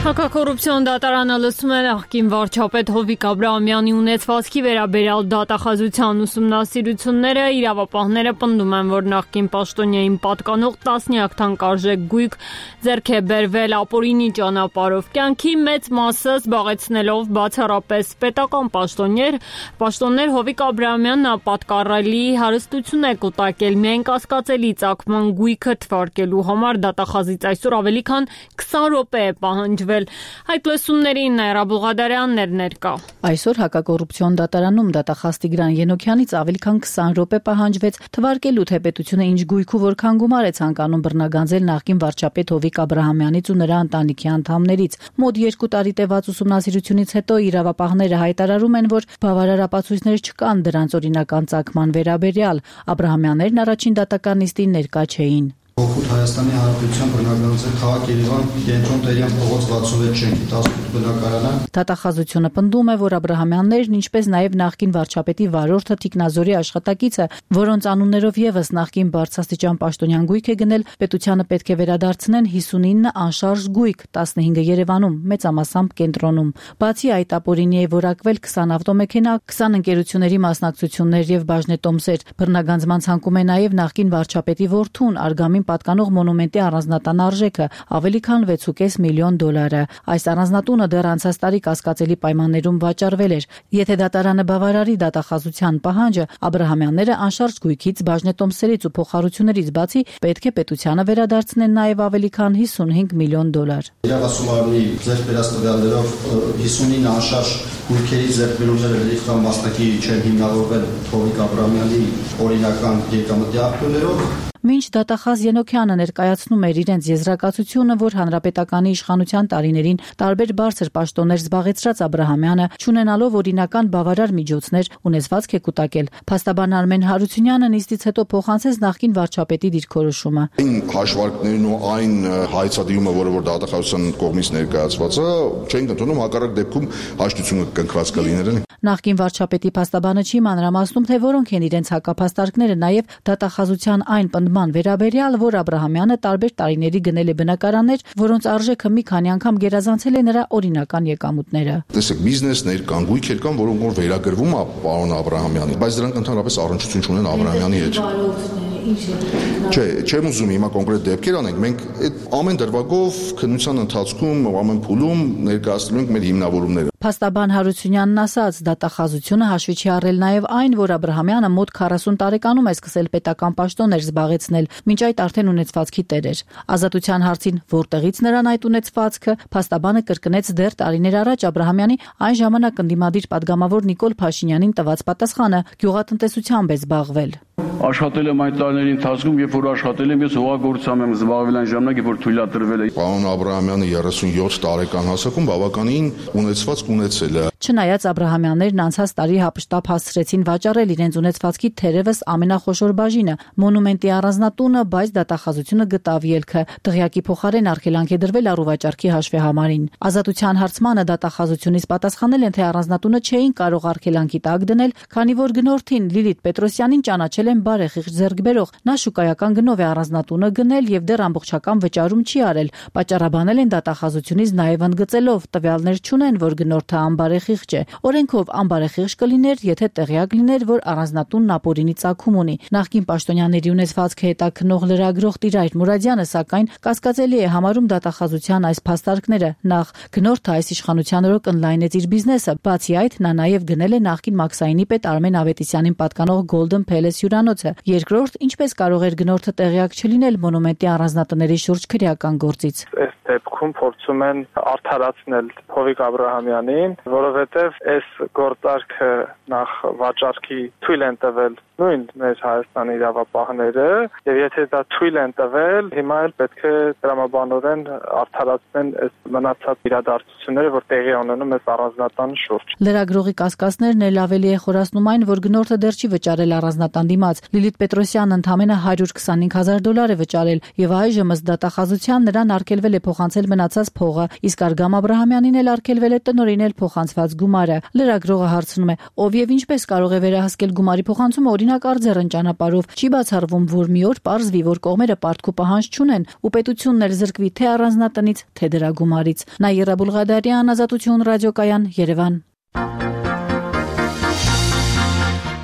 Հակակոռուպցիոն դատարանը լսում է նախկին վարչապետ Հովիկ Աբրահամյանի ունեցվածքի վերաբերյալ դատախազության ուսումնասիրությունները, իրավապահները պնդում են, որ նախկին պաշտոնյային պատկանող տասնյակ թանկարժեք գույք ձեռք է բերվել ապօրինի ճանապարհով, կյանքի մեծ մասը զբաղեցնելով բացառապես պետական պաշտոններ Հովիկ Աբրահամյանն պատկառելի հարստություն է կուտակել միայն կասկածելի ծագման գույքը թվարկելու համար դատախազից այսօր ավելի քան 20 րոպե է պահանջվել։ Այդ լսումներին Նաիրա Բուղադարյանն էր ներկա։ Այսօր հակակոռուպցիոն դատարանում դատախազ Տիգրան Ենոքյանից ավելի քան 20 րոպե պահանջվեց թվարկելու, թե պետությունը ինչ գույք ու որքան գումար է ցանկանում բռնագանձել նախկին վարչապետ Հովիկ Աբրահամյանից ու նրա ընտանիքի անդամներից։ Մոտ 2 տարի տևած ուսումնասիրությունից հետո իրավապահները հայտարարում են, որ բավարար ապացույցներ չկան դրանց օրինական ծագման վերաբերյալ։ Աբրահամյաններն առաջին դատական նիստին ներկա չէին։ Հօգուտ Հայաստանի Հանրապետության բնակչության քաղաք Երևան կենտրոն Տերյան փողոց 66 շենքի 18 բնակարանը։ Դատախազությունը պնդում է, որ Աբրահամյաններն, ինչպես նաև նախկին վարչապետի վարորդը Տիկնազորի աշխատակիցը, որոնց անուններով եւս նախկին բարձրաստիճան պաշտոնյան գույք է գնել, պետությանը պետք է վերադարձնեն 59 անշարժ գույք, 15-ը Երևանում, մեծամասամբ կենտրոնում։ Բացի այդ, ապօրինի է որակվել 20 ավտոմեքենա, 20 ընկերությունների մասնակցություններ եւ բաժնետոմսեր։ Բռնագանձման ցանկում է նաև նախկին վարչապետի որդուն Արգամին պատկանող մոնումենտի առանձնատան արժեքը ավելի քան 6.5 միլիոն դոլարը։ Այս առանձնատունը դեռ անցած տարի կասկածելի պայմաններում վաճառվել էր։ Եթե դատարանը բավարարի դատախազության պահանջը, Աբրահամյանները անշարժ գույքից, բաժնետոմսերից ու փոխհարություններից բացի պետք է պետությանը վերադարձնեն նաև ավելի քան 55 միլիոն դոլար։ Իրավասումարանի ձեռքբերած տվյալներով 59 անշարժ գույքերի ձեռքբերումները լրիվ կամ մասնակի չեն հիմնավորվել Հովիկ Աբրահամյանի օրինական եկամտի աղբյուրներով։ Մինչ դատախազ Ենոքյանը ներկայացնում էր իրենց եզրակացությունը, որ հանրապետականի իշխանության տարիներին տարբեր բարձր պաշտոններ զբաղեցրած Աբրահամյանը, չունենալով օրինական բավարար միջոցներ, ունեցվածք է կուտակել, փաստաբան Արմեն Հարությունյանը նիստից հետո փոխանցեց նախկին վարչապետի դիրքորոշումը։ Այն հաշվարկներն ու այն հայցադիումը, որը որ դատախազության կողմից ներկայացված է, չենք ընդունում, հակառակ դեպքում հաշտությունը կնքված կլիներ։ Նախկին վարչապետի փաստաբանը չի մանրամասնում, թե որոնք են իրենց հակափաստարկները, նաև դատախազության այն պնդման վերաբերյալ, որ Աբրահամյանը տարբեր տարիների գնել է բնակարաններ, որոնց արժեքը մի քանի անգամ գերազանցել է նրա օրինական եկամուտները։ Տեսեք, բիզնեսներ կան, գույքեր կան, որոնք որ վերագրվում է պարոն Աբրահամյանին, բայց դրանք ընդհանրապես առնչություն չունեն Աբրահամյանի հետ։ Չէ, չեմ ուզում հիմա կոնկրետ դեպքեր անենք, մենք այդ ամեն դրվագով քննության ընթացքում ամեն փուլում ներկայացնում ենք մեր հիմնավորումները։ Փաստաբան Հարությունյանն ասաց, դատախազությունը հաշվի չի առել նաև այն, որ Աբրահամյանը մոտ 40 տարեկանում է սկսել պետական պաշտոններ զբաղեցնել, մինչ այդ արդեն ունեցվածքի տեր էր։ Ազատության հարցին որտեղից նրան այդ ունեցվածքը, փաստաբանը կրկնեց դեռ տարիներ առաջ Աբրահամյանի այն ժամանակ ընդդիմադիր падգամավոր Նիկոլ Փաշինյանին տված պատասխանը՝ գյուղատնտեսությամբ է զբաղվել։ Աշխատել եմ այդ տարիների ընթացքում, երբ որ աշխատել եմ, ես հողագործությամբ եմ զբաղվել այն ժամանակ, երբ որ թույլատրվել է։ Պարոն Աբրահամյանը 37 տարեկան հասակում բավականին ունեցվածք ունեցել է։ Չնայած Աբրահամյաններն անցած տարի հապշտապ հասցրեցին վաճառել իրենց ունեցվածքի թերևս ամենախոշոր բաժինը՝ մոնումենտի առանձնատունը, բայց դատախազությունը գտավ ելքը։ Դղյակի փոխարեն արգելանք է դրվել առուվաճառքի հաշվեհամարին։ Ազատության հարցմանը դատախազությունից պատասխանել են, թե առանձնատունը չէին կարող արգելանքի տակ դնել, քանի որ գնորդին Լիլիթ Պետրոսյանին ճանաչել են բարեխիղճ ձեռքբերող։ Նա շուկայական գնով է առանձնատունը գնել եւ դեռ ամբողջական վճարում չի արել։ Պատճառաբանել են դատախազությունից նաեւ ընդգծելով տվյալներ չունեն, որ գնորդը անբարեխիղճ է։ Օրենքով անբարեխիղճ կլիներ, եթե տեղյակ լիներ, որ առանձնատունն ապօրինի ծագում ունի։ Նախկին պաշտոնյաների ունեցվածքը հետաքննող լրագրող Տիրայր Մուրադյանը սակայն կասկածելի է համարում դատախազության այս փաստարկները։ Նախ գնորդը այս իշխանության օրոք ընդլայնեց իր բիզնեսը, բացի այդ նա նաեւ գնել է նախկին Մաքսայինի պետ Արմեն Ավետիսյանին պատկանող Golden Palace հյուրանոցը։ Երկրորդ, ինչպես կարող էր գնորդը տեղյակ չլինել մոնումենտի առանձնատների շուրջ քրեական գործից։ Այս դեպքում փորձում են արդարացնել Հովիկ Աբրահամյանին, որովհետև այս գործարքը նախ վաճառքի թույլ են տվել նույն մեր Հայաստանի իրավապահները, եւ եթե դա թույլ են տվել, հիմա էլ պետք է տրամաբանորեն արդարացնեն այս մնացած իրադարձությունները, որ տեղի ունենում այս առանձնատանի շուրջ։ Լրագրողի կասկածներն էլ ավելի է խորացնում այն, որ գնորդը դեռ չի վճարել առանձնատան դիմաց։ Լիլիթ Պետրոսյանն ընդամենը $125,000 է վճարել եւ այժմ ըստ դատախազության նրան արգելվել է փոխանցել մնացած փողը, իսկ Արգամ Աբրահամյանին էլ արգելվել է տնօրինել փոխանցված գումարը։ Լրագրողը հարցնում է, ով եւ ինչպես կարող է վերահսկել գումարի փոխանցումը օրինակ արձերն ճանապարհով։ Չի բացառվում, որ մի օր պարզվի, որ կողմերը պարտքու պահանջ չունեն ու պետությունն էլ զրկվի թե առանձնատնից, թե դրա գումարից։ Նաիրա Բուլղադարյան, Ազատություն ռադիոկայան, Երևան։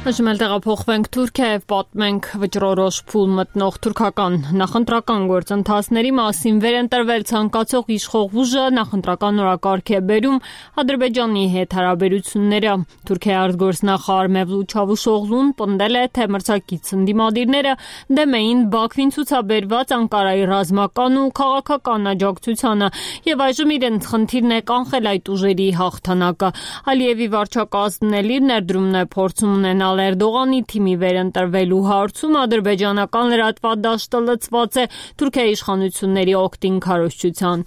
Այժմ տեղափոխվենք Թուրքիա եւ պատմենք վճռորոշ փուլ մտնող թուրքական նախընտրական գործընթացների մասին։ Վերընտրվել ցանկացող իշխող ուժը նախընտրական օրակարգ է բերում Ադրբեջանի հետ հարաբերությունները։ Թուրքիայի արտգործնախարար Մևլութ Չավուշօղլուն պնդել է, թե մրցակից ընդդիմադիրները դեմ էին Բաքվին ցուցաբերված Անկարայի ռազմական ու քաղաքական աջակցությանը եւ այժմ իրենց խնդիրն է կանխել այդ ուժերի հաղթանակը։ Ալիևի վարչակազմն էլ իր ներդրումն է փորձում ունենալ Էրդողանի թիմի վերընտրվելու հարցում ադրբեջանական լրատվադաշտը լցված է Թուրքիայի իշխանությունների օգտին քարոզչության։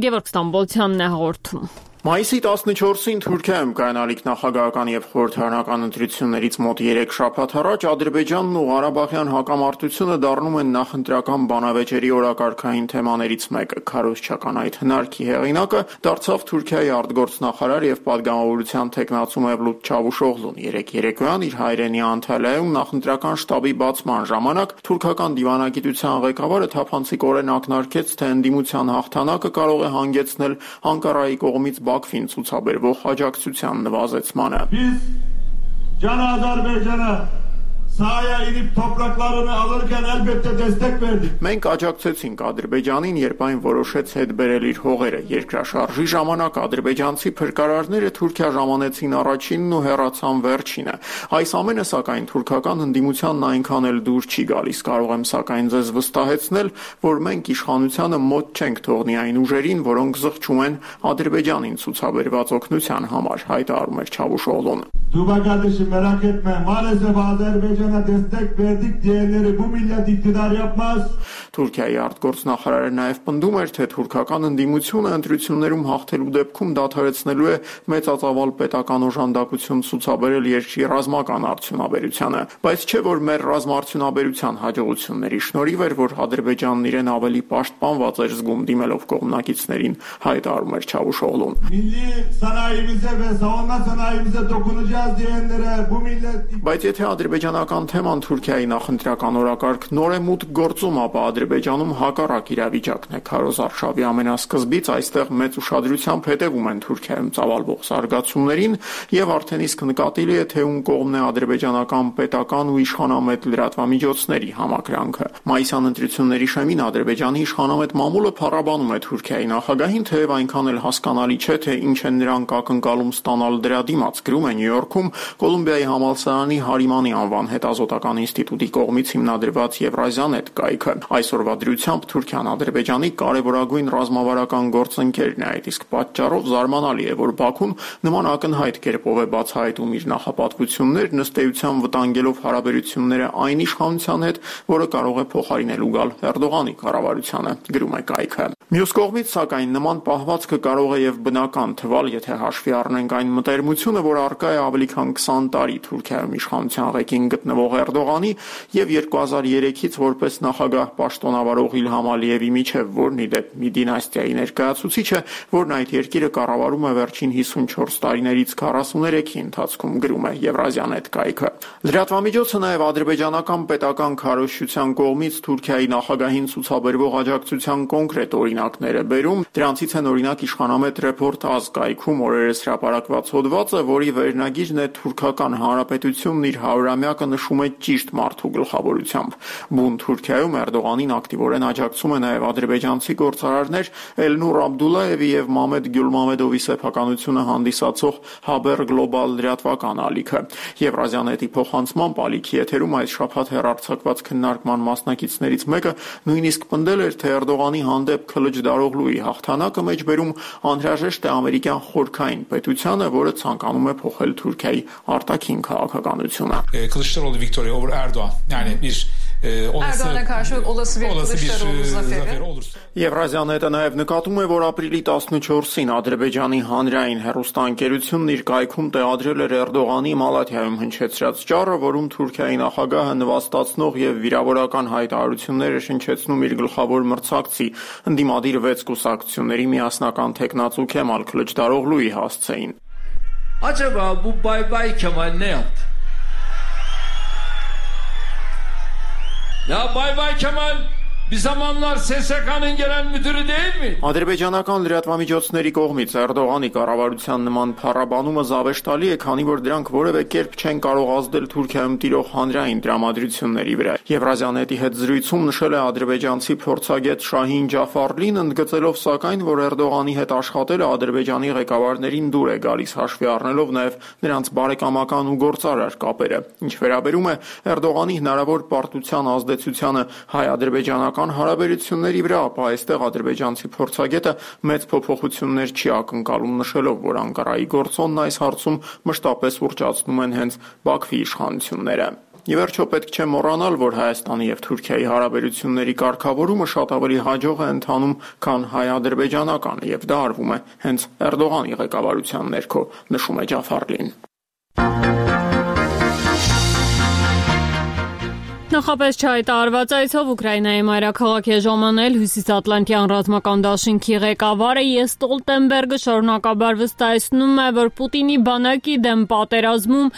Գևորգ Ստամբոլցյանն է հաղորդում։ Մայիսի 14-ին Թուրքիայում կայանալիք նախագահական եւ խորհրդարանական ընտրություններից մոտ 3 շաբաթ առաջ Ադրբեջանն ու Ղարաբաղյան հակամարտությունը դառնում են նախընտրական բանավեճերի օրակարգային թեմաներից մեկը։ Քարոզչական այդ հնարքի հեղինակը դարձավ Թուրքիայի արտգործնախարար եւ падգամավորության տեխնացու Մևլութ Չավուշօղլուն։ Երեկոյան իր հայրենի Անտալիայում նախընտրական շտաբի բացման ժամանակ թուրքական դիվանագիտության ղեկավարը թափանցիկորեն ակնարկեց, թե ընդդիմության հաղթանակը կարող է հանգեցնել Անկարայի կողմից Բաքվին ցուցաբերվող աջակցության նվազեցմանը։ Can Azerbaycan'a sahaya inip topraklarını alırken elbette destek verdik. Մենք աջակցեցինք Ադրբեջանին, երբ այն որոշեց հետ բերել իր հողերը։ Երկրաշարժի ժամանակ ադրբեջանցի փրկարարները Թուրքիա ժամանեցին առաջինն ու հեռացան վերջինը։ Այս ամենը սակայն թուրքական ընդդիմությանն այնքան էլ դուր չի գալիս։ Կարող եմ սակայն ձեզ վստահեցնել, որ մենք իշխանությանը մոտ չենք թողնի այն ուժերին, որոնք զղջում են Ադրբեջանին ցուցաբերված օգնության համար, հայտարարում էր Չավուշօղլուն։ Tuba kardeşim merak etme. Maalesef Azerbaycan Azerbaycan'a destek verdik diyenleri bu millet iktidar yapmaz. Թուրքիայի արտգործնախարարը նաև պնդում էր, թե թուրքական ընդդիմությունը ընտրություններում հաղթելու դեպքում դադարեցնելու է մեծածավալ պետական օժանդակություն ցուցաբերել երկրի ռազմական արդյունաբերությանը, բայց չէ որ մեր ռազմաարդյունաբերության հաջողությունների շնորհիվ էր, որ Ադրբեջանն իրեն ավելի պաշտպանված էր զգում դիմելով կողմնակիցներին, հայտարարում էր Չավուշօղլուն։ Milli sanayimize ve savunma sanayimize dokunacağız diyenlere bu millet. Բայց եթե ադրբեջանական թեման Թուրքիայի նախընտրական օրակարգ նորեմուտ գործում, ապա Ադրբեջանում հակառակ իրավիճակն է։ Քարոզ Արշավի ամենասկզբից այստեղ մեծ ուշադրությամբ հետևում են Թուրքիայում ծավալվող զարգացումներին եւ արդեն իսկ նկատելի է, թե ում կողմն է ադրբեջանական պետական ու իշխանամետ լրատվամիջոցների համակրանքը։ Մայիսյան ընտրությունների շեմին Ադրբեջանի իշխանամետ մամուլը փառաբանում է Թուրքիայի նախագահին, թեև այնքան էլ հասկանալի չէ, թե ինչ են նրանք ակնկալում ստանալ դրա դիմաց, գրում է Նյու Յորքում Կոլումբիայի համալսարանի Հարիմանի անվան հետազոտական ինստիտուտի կողմից հիմնադրված Եվրազիանետ կայքը։ Այսօրվա դրությամբ Թուրքիան Ադրբեջանի կարևորագույն ռազմավարական գործընկերն է, այդ իսկ պատճառով զարմանալի է, որ Բաքուն նման ակնհայտ կերպով է բացահայտում իր նախապատվություններն, ըստ էության վտանգելով հարաբերությունները այն իշխանության հետ, որը կարող է փոխարինելու գալ Էրդողանի կառավարությանը, գրում է կայքը։ Մյուս կողմից, սակայն, նման պահվածքը կարող է եւ բնական թվալ, եթե հաշվի առնենք այն մտերմությունը, որ առկա է ավելի քան 20 տարի Թուրքիայում իշխանության ղեկին գտնվող Էրդողանի եւ 2003-ից որպես նախագահ պաշտոնավարող Իլհամ Ալիևի միջև, որն ի դեպ մի դինաստիայի ներկայացուցիչ է, որն այդ երկիրը կառավարում է վերջին 54 տարիներից 43-ի ընթացքում, գրում է Եվրազիանետ կայքը։ Լրատվամիջոցը նաեւ ադրբեջանական պետական քարոզչության կողմից Թուրքիայի նախագահին ցուցաբերվող աջակցության կոնկրետ օրինակներ է բերում։ Դրանցից են օրինակ իշխանամետ Report Az կայքում օրերս հրապարակված հոդվածը, որի վերնագիրն է Թուրքական Հանրապետությունն իր 100-ամյակը նշում է ճիշտ մարդու գլխավորությամբ։ Բուն Թուրքիայում Էրդողանին ակտիվորեն աջակցում է նաև ադրբեջանցի գործարարներ Էլնուր Աբդուլլաևի եւ Մամեդ Գյուլմամեդովի սեփականությունը հանդիսացող Haber Global լրատվական ալիքը։ Եվրազիանետի փոխանցմամբ ալիքի եթերում այս շաբաթ հեռարձակված քննարկման մասնակիցներից մեկը նույնիսկ պնդել էր, թե Էրդողանի հանդեպ Քլիչդարօղլուի հաղթանակը մեջբերում անհրաժեշտ է ամերիկյան խորքային պետությանը, որը ցանկանում է փոխել Թուրքիայի արտաքին քաղաքականությունը։ Kılıçdaroğlu Victoria over Erdoğan. Yani bir Erdoğan'a karşı olası bir Kılıçdaroğlu zaferi olursa. Եվրազիանետը նաև նկատում է, որ ապրիլի 14-ին Ադրբեջանի հանրային հեռուստաընկերությունն իր կայքում տեղադրել էր Էրդողանի Մալաթիայում հնչեցրած ճառը, որում Թուրքիայի նախագահը նվաստացնող եւ վիրավորական հայտարարություններ է շնչեցնում իր գլխավոր մրցակցի ընդդիմադիր 6 կուսակցությունների միասնական թեկնածու Քեմալ Քլիչդարօղլուի հասցեին։ Acaba bu Bay Kemal ne yaptı? Ya Bay Kemal bir zamanlar SSK'nın gelen müdürü değil mi? Ադրբեջանական լրատվամիջոցների կողմից Էրդողանի կառավարության նման փառաբանումը զավեշտալի է, քանի որ դրանք որևէ կերպ չեն կարող ազդել Թուրքիայում տիրող հանրային տրամադրությունների վրա։ Եվրազիանետի հետ զրույցում նշել է ադրբեջանցի փորձագետ Շահին Ջաֆարլին, ընդգծելով սակայն, որ Էրդողանի հետ աշխատելը Ադրբեջանի ղեկավարներին դուր է գալիս, հաշվի առնելով նաև նրանց բարեկամական ու գործարար կապերը։ Ինչ վերաբերում է Էրդողանի հնարավոր պարտության ազդեցությանը հայ-ադրբեջանական հարաբերությունների վրա, ապա այստեղ ադրբեջանցի փորձագետը մեծ փոփոխություններ չի ակնկալում, նշելով, որ Անկարայի գործոնն այս հարցում մշտապես ուռճացնում են հենց Բաքվի իշխանությունները։ Ի վերջո պետք չէ մոռանալ, որ Հայաստանի եւ Թուրքիայի հարաբերությունների կարգավորումը շատ ավելի հաջող է ընթանում, քան հայ-ադրբեջանականը, եւ դա արվում է հենց Էրդողանի ղեկավարության ներքո, նշում է Ջաֆարլին։ Նախապես չհայտարարված այցով Ուկրաինայի մայրաքաղաք է ժամանել Հյուսիսատլանտյան ռազմական դաշինքի ղեկավարը Ստոլտենբերգը շարունակաբար վստահեցնում է, որ Պուտինի բանակի դեմ պատերազմում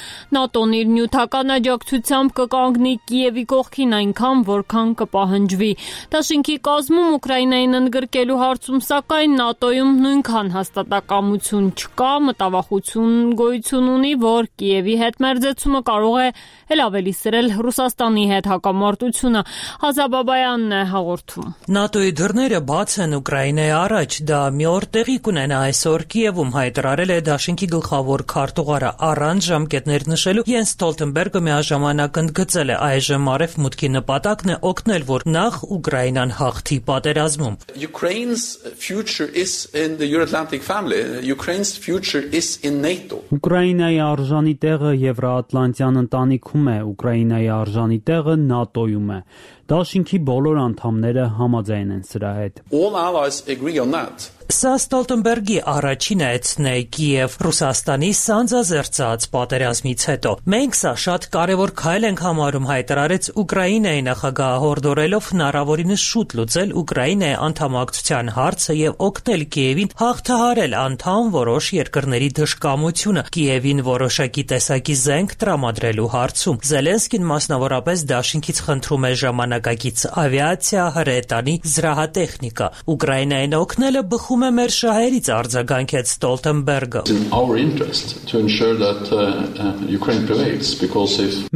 ՆԱՏՕ-ն իր նյութական աջակցությամբ կկանգնի Կիևի կողքին այնքան, որքան կպահանջվի։ Դաշինքի կազմում Ուկրաինային ընդգրկելու հարցում սակայն ՆԱՏՕ-ում նույնքան հաստատակամություն չկա, մտավախություն գոյություն ունի, որ Կիևի հետ մերձեցումը կարող է էլ ավելի սրել Ռուսաստանի հետ այդ հակամարտությունը։ Հազաբաբայանն է հաղորդում։ ՆԱՏՕ-ի դռները բաց են Ուկրաինայի առաջ, դա մի օր տեղի կունենա այսօր Կիևում, հայտարարել է Դաշինքի գլխավոր քարտուղարը առանց ժամկետներ նշելու։ Յենս Ստոլտենբերգը միաժամանակ ընդգծել է այժմ արևմուտքի նպատակն է օգնել, որ նախ Ուկրաինան հաղթի պատերազմում։ Ukraine's future is in the Euro-Atlantic family. Ukraine's future is in NATO. Ուկրաինայի արժանի տեղը Եվրոատլանտյան ընտանիքում է, Ուկրաինայի արժանի տեղը ՆԱՏՕ-ում է։ Դաշինքի բոլոր անդամները համաձայն են սրա հետ։ All allies agree on that. Սա Ստոլտենբերգի առաջին այցն է Կիև Ռուսաստանի սանձազերծած պատերազմից հետո։ Մենք սա շատ կարևոր քայլ ենք համարում, հայտարարեց Ուկրաինայի նախագահը, հորդորելով հնարավորինս շուտ լուծել Ուկրաինայի անդամակցության հարցը եւ օգնել Կիևին հաղթահարել անդամ որոշ երկրների դժկամությունը Կիևին որոշակի տեսակի զենք տրամադրելու հարցում։ Զելենսկին մասնավորապես Դաշինքից խնդրում է ժամանակակից ավիացիա, հրետանի, զրահատեխնիկա։ Ուկրաինային օգնելը բխում է մեր շահերից, արձագանքեց Ստոլտենբերգը։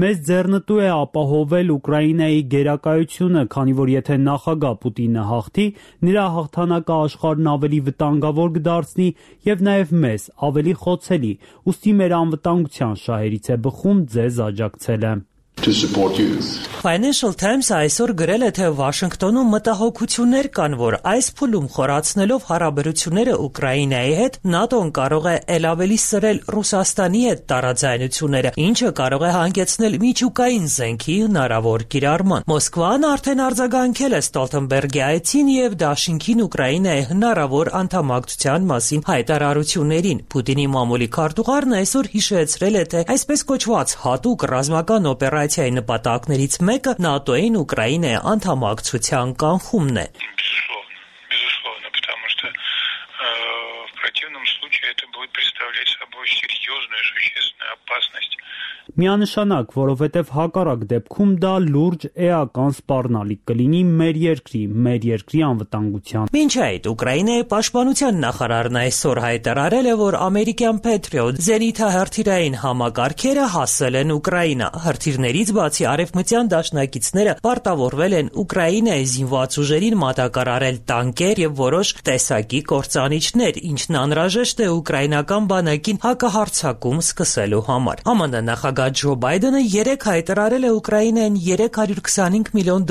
Մեզ ձեռնտու է ապահովել Ուկրաինայի գերակայությունը, քանի որ եթե նախագահ Պուտինը հաղթի, նրա հաղթանակը աշխարհն ավելի վտանգավոր կդարձնի եւ նաեւ մեզ ավելի խոցելի։ Ուստի մեր անվտանգության շահերից է բխում ձեզ աջակցելը։ Financial Times-ը այսօր գրել է, թե Վաշինգտոնում մտահոգություններ կան, որ այս փուլում խորացնելով հարաբերությունները Ուկրաինայի հետ, ՆԱՏՕ-ն կարող է ել ավելի սրել Ռուսաստանի հետ տարաձայնությունները, ինչը կարող է հանգեցնել միջուկային զենքի հնարավոր կիրառման։ Մոսկվան արդեն արձագանքել է Ստոլտենբերգի այցին եւ Դաշինքին Ուկրաինայի հնարավոր անդամակցության մասին հայտարարություններին։ Պուտինի մամուլի քարտուղարն այսօր հիշեցրել է, թե այսպես կոչված հատուկ ռազմական օպերացիայի նպատակներից մեկը ՆԱՏՕ-ին Ուկրաինայի անդամակցության կանխումն է։ Միանշանակ, որովհետև հակառակ դեպքում դա լուրջ էական սպառնալիք կլինի մեր երկրի անվտանգության։ Մինչ այդ Ուկրաինայի պաշտպանության նախարարն այսօր հայտարարել է, որ ամերիկյան Patriot զենիթահրթիռային համակարգերը հասել են Ուկրաինա։ Հրթիռներից բացի արևմտյան դաշնակիցները պարտավորվել են Ուկրաինայի զինված ուժերին մատակարարել տանկեր եւ որոշ տեսակի կործանիչներ, ինչն անհրաժեշտ է ուկրաինական բանակին հակահարձակում սկսելու համար։ ԱՄՆ նախագահ Ջո Բայդենը երեկ հայտարարել է Ուկրաինային $325 միլիոն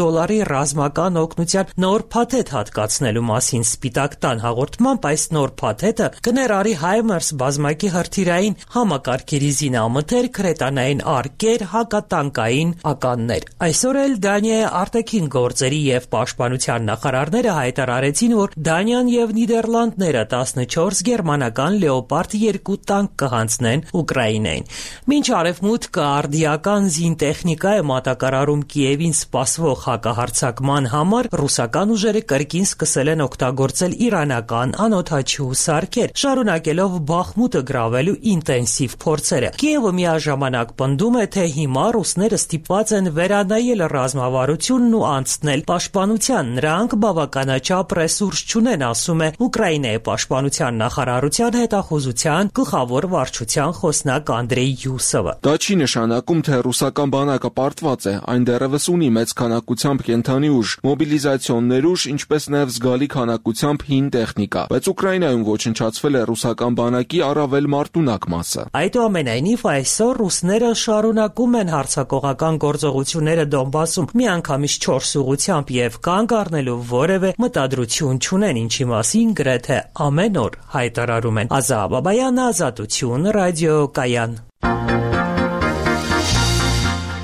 ռազմական օգնության նոր փաթեթ հատկացնելու մասին։ Սպիտակ տան հաղորդմամբ այս նոր փաթեթը կներառի HIMARS բազմակի հրթիռային համակարգերի զինամթերք, հրետանային արկեր, հակատանկային ականներ։ Այսօր էլ Դանիայի արտաքին գործերի եւ պաշտպանության նախարարները հայտարարեցին, որ Դանիան եւ Նիդերլանդները 14 գերմանական Leopard 2 տանկ կհանձնեն Ուկրաինային։ Մինչ արևմուտքը արդիական զինտեխնիկա է մատակարարում Կիևին սպասվող հակահարձակման համար, ռուսական ուժերը կրկին սկսել են օգտագործել իրանական անօդաչու սարքեր, շարունակելով Բախմուտը գրավելու ինտենսիվ փորձերը։ Կիևը միաժամանակ պնդում է, թե հիմա ռուսները ստիպված են վերանայել ռազմավարությունն ու անցնել պաշտպանության։ Նրանք բավականաչափ ռեսուրս չունեն, ասում է Ուկրաինայի պաշտպանության նախարարության հետախուզության գլխավոր վարչության խոսնակ Անդրեյ Յուսովը։ Դա չի նշանակում, թե ռուսական բանակը պարտված է, այն դեռևս ունի մեծ քանակությամբ կենդանի ուժ, մոբիլիզացիոն ներուժ, ինչպես նաև զգալի քանակությամբ հին տեխնիկա, բայց Ուկրաինայում ոչնչացվել է ռուսական բանակի առավել մարտունակ մասը։ Այդուամենայնիվ այսօր ռուսները շարունակում են հարձակողական գործողությունները Դոնբասում միանգամից 4 ուղղությամբ եւ կանգ առնելու որևէ մտադրություն չունեն, ինչի մասին գրեթե ամեն օր հայտարարում են։ Ազատ Բաբայան, Ազատություն, ռադիոկայան։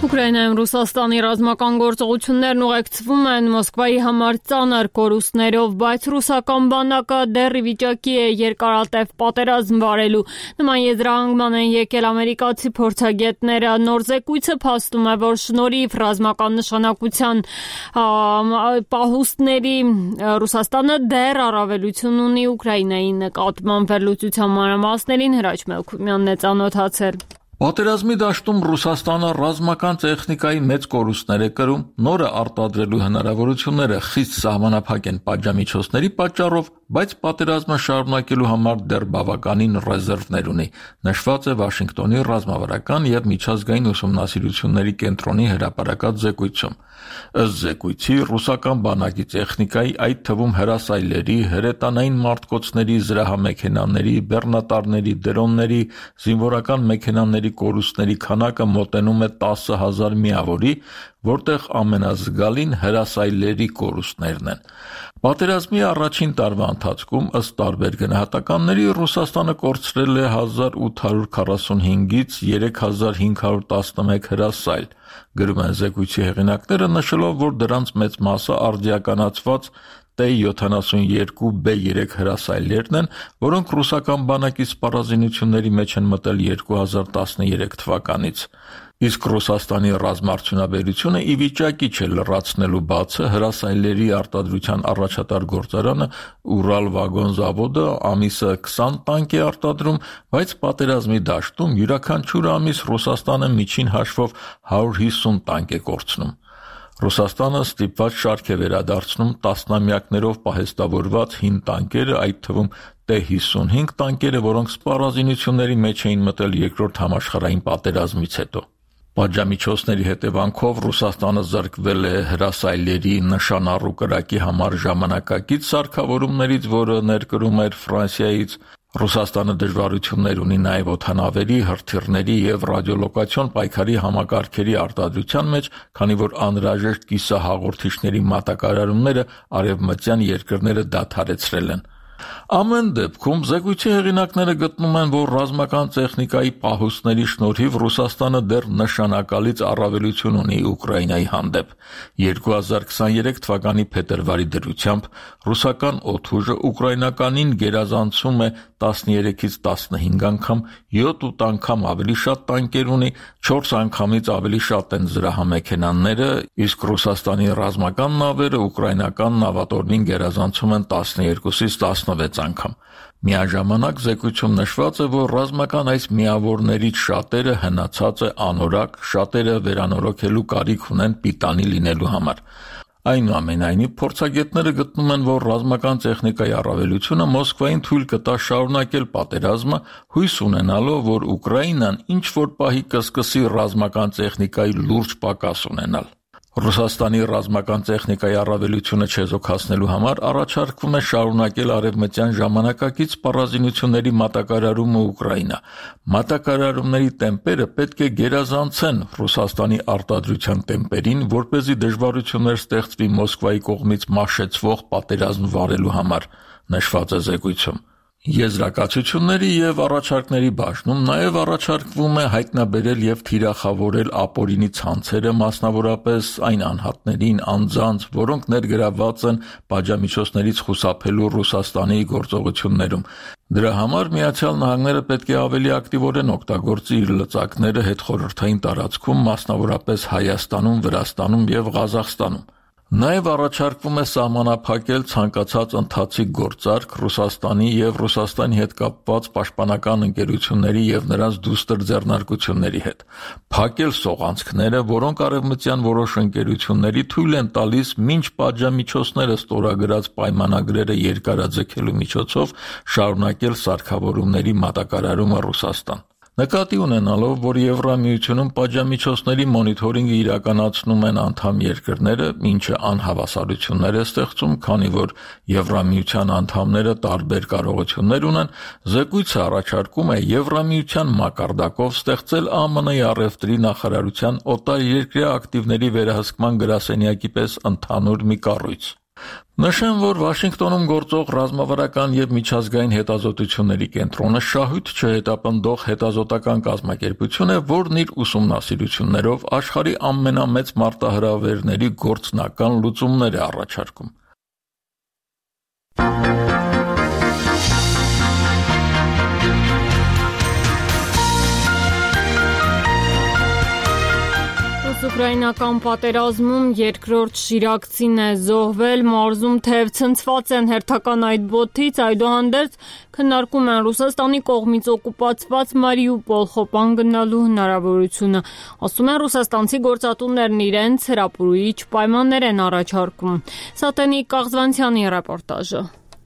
Ուկրաինայում Ռուսաստանի ռազմական գործողություններն ուղեկցվում են Մոսկվայի համար ծանր կորուստներով, բայց ռուսական բանակը դեռ ի վիճակի է երկարատև պատերազմ վարելու։ Նման եզրահանգման են եկել ամերիկացի փորձագետները։ Նոր զեկույցը փաստում է, որ շնորհիվ ռազմական նշանակության պահուստների Ռուսաստանը դեռ առավելություն ունի Ուկրաինայի նկատմամբ։ Վերլուծության մանրամասներին Հրաչ Մելքումյանն է ծանոթացել։ Պատերազմի դաշտում Ռուսաստանը ռազմական տեխնիկայի մեծ կորուստներ է կրում, նորը արտադրելու հնարավորությունները խիստ սահմանափակ են պատժամիջոցների պատճառով, բայց պատերազմը շարունակելու համար դեռ բավականին ռեզերվներ ունի, նշված է Վաշինգտոնի ռազմավարական եւ միջազգային ուսումնասիրությունների կենտրոնի հրապարակած զեկույցում։ Ըստ զեկույցի, ռուսական բանակի տեխնիկայի, այդ թվում հրասայլերի, հրետանային մարտկոցների, զրահամեքենաների, բեռնատարների, դրոնների, զինվորական մեքենաների կորուստների քանակը մոտենում է 10,000 միավորի, որտեղ ամենազգալին հրասայլերի կորուստներն են։ Պատերազմի առաջին տարվա ընթացքում, ըստ տարբեր գնահատականների, Ռուսաստանը կորցրել է 1845-ից 3511 հրասայլ, գրում են զեկույցի հեղինակները, նշելով, որ դրանց մեծ մասը արդիականացված T-72B3 հրասայլերն են, որոնք ռուսական բանակի սպառազինությունների մեջ են մտել 2013 թվականից։ Իսկ Ռուսաստանի ռազմաարդյունաբերությունը ի վիճակի չէ լրացնելու բացը հրասայլերի արտադրության առաջատար գործարանը Ուրալ վագոն զավոդը ամիսը 20 տանկ է արտադրում, բայց պատերազմի դաշտում յուրաքանչյուր ամիս Ռուսաստանը միջին հաշվով 150 տանկ է կորցնում։ Ռուսաստանը ստիպված շարք է վերադարձնում տասնամյակներով պահեստավորված հին տանկերը, այդ թվում T-55 տանկերը, որոնք սպառազինությունների մեջ էին մտել երկրորդ համաշխարհային պատերազմից հետո։ Պատժամիջոցների հետևանքով Ռուսաստանը զրկվել է հրասայլերի նշանառու կրակի համար ժամանակակից սարքավորումներից, որը ներկրում էր Ֆրանսիայից։ Ռուսաստանը դժվարություններ ունի նաև օդանավերի, հրթիռների եւ ռադիոլոկացիոն պայքարի համակարգերի արտադրության մեջ, քանի որ անհրաժեշտ կիսահաղորդիչների մատակարարումները արևմտյան երկրները դադարեցրել են։ Ամեն դեպքում զեկույցի հեղինակները գտնում են, որ ռազմական տեխնիկայի պահուստների շնորհիվ Ռուսաստանը դեռ նշանակալից առավելություն ունի Ուկրաինայի հանդեպ։ 2023 թվականի փետրվարի դրությամբ ռուսական օդուժը ուկրաինականին գերազանցում է 13-ից 15 անգամ, 7-8 անգամ ավելի շատ տանկեր ունի, 4 անգամից ավելի շատ են զրահամեքենաները, իսկ Ռուսաստանի ռազմական նավերը ուկրաինական նավատորմին գերազանցում են 12-ից 16 անգամ։ Միաժամանակ զեկույցում նշված է, որ ռազմական այս միավորներից շատերը հնացած է անորակ, շատերը վերանորոգելու կարիք ունեն պիտանի լինելու համար։ Այնուամենայնիվ, փորձագետները գտնում են, որ ռազմական տեխնիկայի առավելությունը Մոսկվային թույլ կտա շարունակել պատերազմը, հույս ունենալով, որ Ուկրաինան ինչ-որ պահի կսկսի ռազմական տեխնիկայի լուրջ պակաս ունենալ։ Ռուսաստանի ռազմական տեխնիկայի առավելությունը չեզոքացնելու համար առաջարկվում է շարունակել արևմտյան ժամանակակից սպառազինությունների մատակարարումը Ուկրաինա։ Մատակարարումների տեմպերը պետք է գերազանցեն Ռուսաստանի արտադրության տեմպերին, որպեսզի դժվարություններ ստեղծվի Մոսկվայի կողմից մաշեցվող պատերազմ վարելու համար, նշված է զեկույցում։ Եզրակացությունների եւ առաջարկների բաժնում նաև առաջարկվում է հայտնաբերել եւ թիրախավորել ապօրինի ցանցերը, մասնավորապես այն անհատներին, անձանց, որոնք ներգրավված են պատժամիջոցներից խուսափելու Ռուսաստանի գործողություններում։ Դրա համար Միացյալ Նահանգները պետք է ավելի ակտիվորեն օգտագործի իր լծակները հետխորհրդային տարածքում, մասնավորապես Հայաստանում, Վրաստանում եւ Ղազախստանում։ Նաև առաջարկվում է սահմանափակել ցանկացած ընթացիկ գործարք Ռուսաստանի եւ Ռուսաստանի հետ կապված պաշտպանական ընկերությունների եւ նրանց դուստր ձեռնարկությունների հետ, փակել սողանցքները, որոնք արևմտյան որոշ ընկերությունների թույլ են տալիս մինչ պատժամիջոցները ստորագրած պայմանագրերը երկարաձգելու միջոցով շարունակել սարքավորումների մատակարարումը Ռուսաստան։ Նկատի ունենալով, որ Եվրամիությունում պատժամիջոցների մոնիթորինգը իրականացնում են անդամ երկրները, ինչը անհավասարություններ է ստեղծում, քանի որ Եվրամիության անդամները տարբեր կարողություններ ունեն, զեկույցը առաջարկում է Եվրամիության մակարդակով ստեղծել ԱՄՆ-ի առևտրի նախարարության օտարերկրյա ակտիվների վերահսկման գրասենյակի պես ընդհանուր մի կառույց։ Նշեմ, որ Վաշինգտոնում գործող ռազմավարական եւ միջազգային հետազոտությունների կենտրոնը շահույթ չհետապնդող հետազոտական կազմակերպություն է, որն իր ուսումնասիրություններով աշխարհի ամենամեծ մարտահրավերների գործնական լուծումներ է առաջարկում։ Ուկրաինական պատերազմում երկրորդ շիրակցին է զոհվել, մարզում թեև ցնցված են հերթական այդ բոթից, այդուհանդերձ քննարկում են Ռուսաստանի կողմից օկուպացված Մարիուպոլ խոպան գնալու հնարավորությունը։ Ասում են ռուսաստանցի գործատուներն իրենց հրապուրիչ պայմաններ են առաջարկում։ Սատենիկ Կաղզվանցյանի ռեպորտաժը։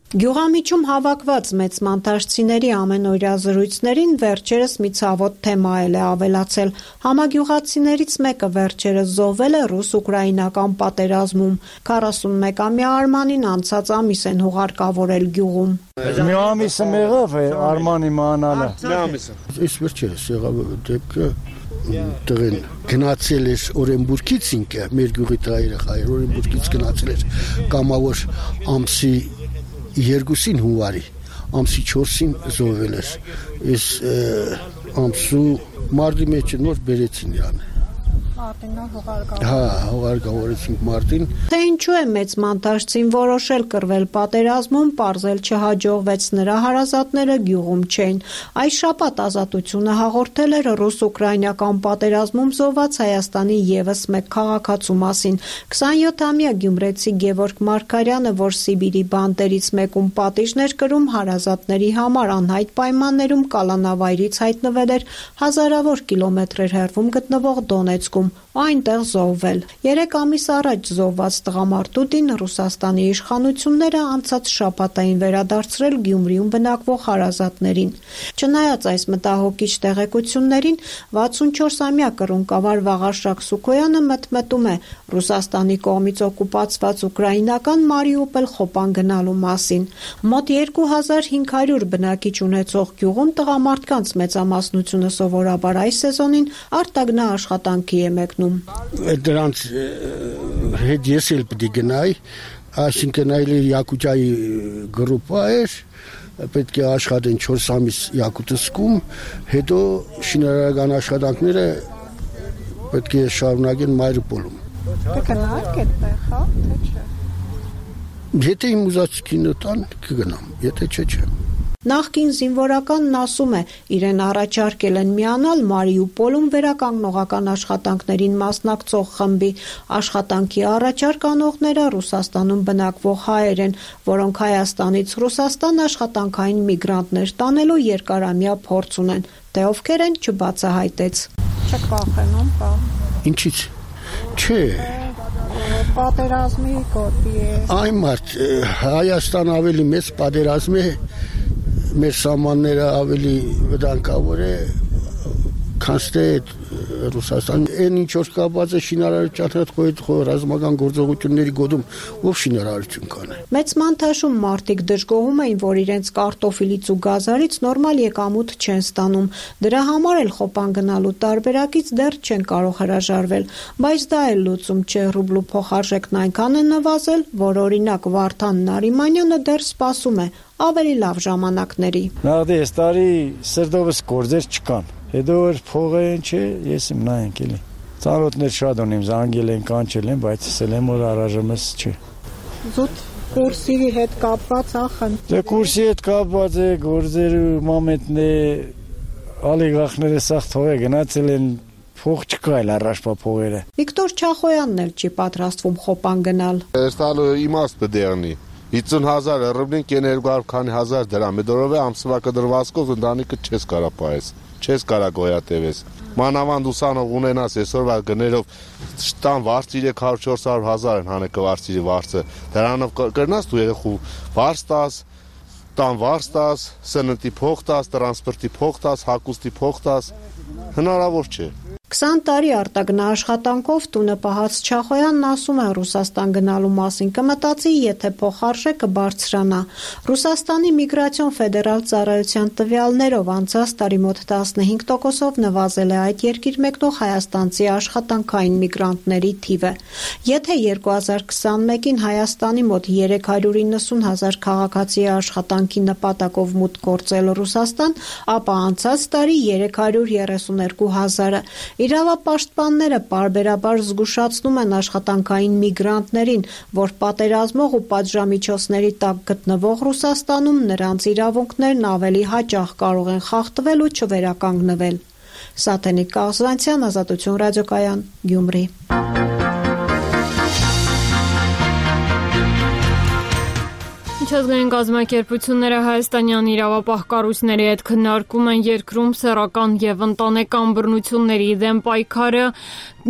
Գյուղամիջում հավաքված մեծ մանտաշցիների ամենօրյա զրույցներին վերջերս մի ցավոտ թեմա է ավելացել։ Համագյուղացիներից մեկը վերջերս զոհվել է ռուս-ուկրաինական պատերազմում։ 41-ամյա Արմանին անցած ամիս են հուղարկավորել գյուղում։ Մի ամիսը եղավ է Արմանի մանալը։ Մի ամիսը։ Այս վերջերս եղավ դեպքը տղեն գնացել էր Օրենբուրգից ինքը, մեր գյուղի երեխայր Օրենբուրգից գնացել էր կամավոր ամսի 2-ին հունվարի, ամսի 4-ին զոհվել էր։ Այս ամսու մարտի մեջ նոր բերեցին իրան։ Հուղարկավորեցինք մարտին։ Թե ինչու է մեծ մանտաշցին որոշել կռվել պատերազմում, պարզել չհաջողվեց, նրա հարազատները գյուղում չէին։ Այս շաբաթ Ազատությունը հաղորդել էր ռուս-ուկրաինական պատերազմում զոհված Հայաստանի ևս մեկ քաղաքացու մասին։ 27-ամյա գյումրեցի Գևորգ Մարգարյանը, որ Սիբիրի բանտերից մեկում պատիժն էր կրում, հարազատների համար անհայտ պայմաններում կալանավայրից հայտնվել էր հազարավոր կիլոմետրեր հեռվում գտնվող Դոնեցկում, այնտեղ զոհվել։ 3 ամիս առաջ զոհված տղամարդուտին Ռուսաստանի իշխանությունները անցած շաբաթային վերադարձրել Գյումրիում բնակվող հարազատներին։ Չնայած այս մտահոգիչ տեղեկություններին, 64-ամյա կռունկավար Վաղարշակ Սուքոյանը մտմտում է Ռուսաստանի կողմից օկուպացված ուկրաինական Մարիուպոլ խոպան գնալու մասին։ Մոտ 2500 բնակիչ ունեցող գյուղում տղամարդկանց մեծամասնությունը սովորաբար այս սեզոնին արտագնա աշխատանքի է մեկնում։ Դրանց հետ ես էլ պիտի գնայի, այսինքն այլ Յակուտիայի գրուպա էր, պետք է աշխատեն 4 ամիս Յակուտսկում, հետո շինարարական աշխատանքները պետք է շարունակեն Մարիուպոլում։ Կգնաք այդտեղ, հա, թե չէ։ Եթե իմ ուզած կինո տան, կգնամ, եթե չէ։ Նախկին զինվորականն ասում է, իրեն առաջարկել են միանալ Մարիուպոլում վերականգնողական աշխատանքներին մասնակցող խմբի։ Աշխատանքի առաջարկ անողները Ռուսաստանում բնակվող հայեր են, որոնք Հայաստանից Ռուսաստան աշխատանքային միգրանտներ տանելու երկարամյա փորձ ունեն։ Թե ովքեր են, չբացահայտեց։ Չեք վախենում, բա։ Ինչից։ Չէ։ Պատերազմի գոտի է։ Այ մարդ, Հայաստան ավելի մեծ պատերազմ է, մեր սահմանները ավելի վտանգավոր է, քան թե Ռուսաստան։ Այն ինչ որ կապված է շինարարության հետ ռազմական գործողությունների գոտում, ով շինարարություն կան։ Մեծ մանտաշում մարդիկ դժգոհում էին, որ իրենց կարտոֆիլից ու գազարից նորմալ եկամուտ չեն ստանում։ Դրա համար էլ խոպան գնալու տարբերակից դեռ չեն կարող հրաժարվել, բայց դա էլ լուծում չէ, ռուբլու փոխարժեքն այնքան է նվազել, որ օրինակ Վարդան Նարիմանյանը դեռ սպասում է ավելի լավ ժամանակների։ Նախ այս տարի սրտովս գործեր չկան։ Հետո որ փողը են չէ, ես իմ նայենք էլի։ Ծանոթներ շատ ունեմ, զանգել են, կանչել են, բայց ասել եմ որ առայժմս չէ։ Զուտ կուրսի հետ կապված ախն։ Դե կուրսի հետ կապված է, գործերը մամենտն է, ալիգախները սաղ թողե գնացել են, փող չկա էլ առաջվա փողերը։ Վիկտոր Չախոյանն էլ չի պատրաստվում խոպան գնալ։ Ստալու իմաստ դերնի 50,000 ռուբլին կեն 200 քանի հազար դրամ։ Դորով է ամսվա կդրվածքով ընտանիքը չես կարա պայես, չես կարա գոյատևես։ Մանավանդ ուսանող ունենաս այսօրվա գներով տան վարձ 300-400 հազար են հանեկը վարձի վարձը։ Դրանով կրնաս դու երեխու վարձ տաս, տան վարձ տաս, սննդի փող տաս, տրանսպորտի փող տաս, հագուստի փող տաս, հնարավոր չէ։ 20 տարի արտագնա աշխատանքով տունը պահած Չախոյանն ասում է Ռուսաստան գնալու մասին կմտածի, եթե փոխարժեքը բարձրանա։ Ռուսաստանի միգրացիոն ֆեդերալ ծառայության տվյալներով անցած տարի մոտ 15%-ով նվազել է այդ երկիր մեկնող հայաստանցի աշխատանքային միգրանտների թիվը։ Եթե 2021-ին Հայաստանի մոտ 390,000 քաղաքացի աշխատանքի նպատակով մուտք գործել Ռուսաստան, ապա անցած տարի 332,000-ը։ Իրավապաշտպանները պարբերաբար զգուշացնում են աշխատանքային միգրանտներին, որ պատերազմող ու պատժամիջոցների տակ գտնվող Ռուսաստանում նրանց իրավունքներն ավելի հաճախ կարող են խախտվել ու չվերականգնվել։ Սաթենիկ Կաղզանցյան, Ազատություն ռադիոկայան, Գյումրի։ Միջազգային կազմակերպությունները հայաստանյան իրավապահ կառույցների հետ քննարկում են երկրում սեռական եւ ընտանեկան բռնությունների դեմ պայքարը,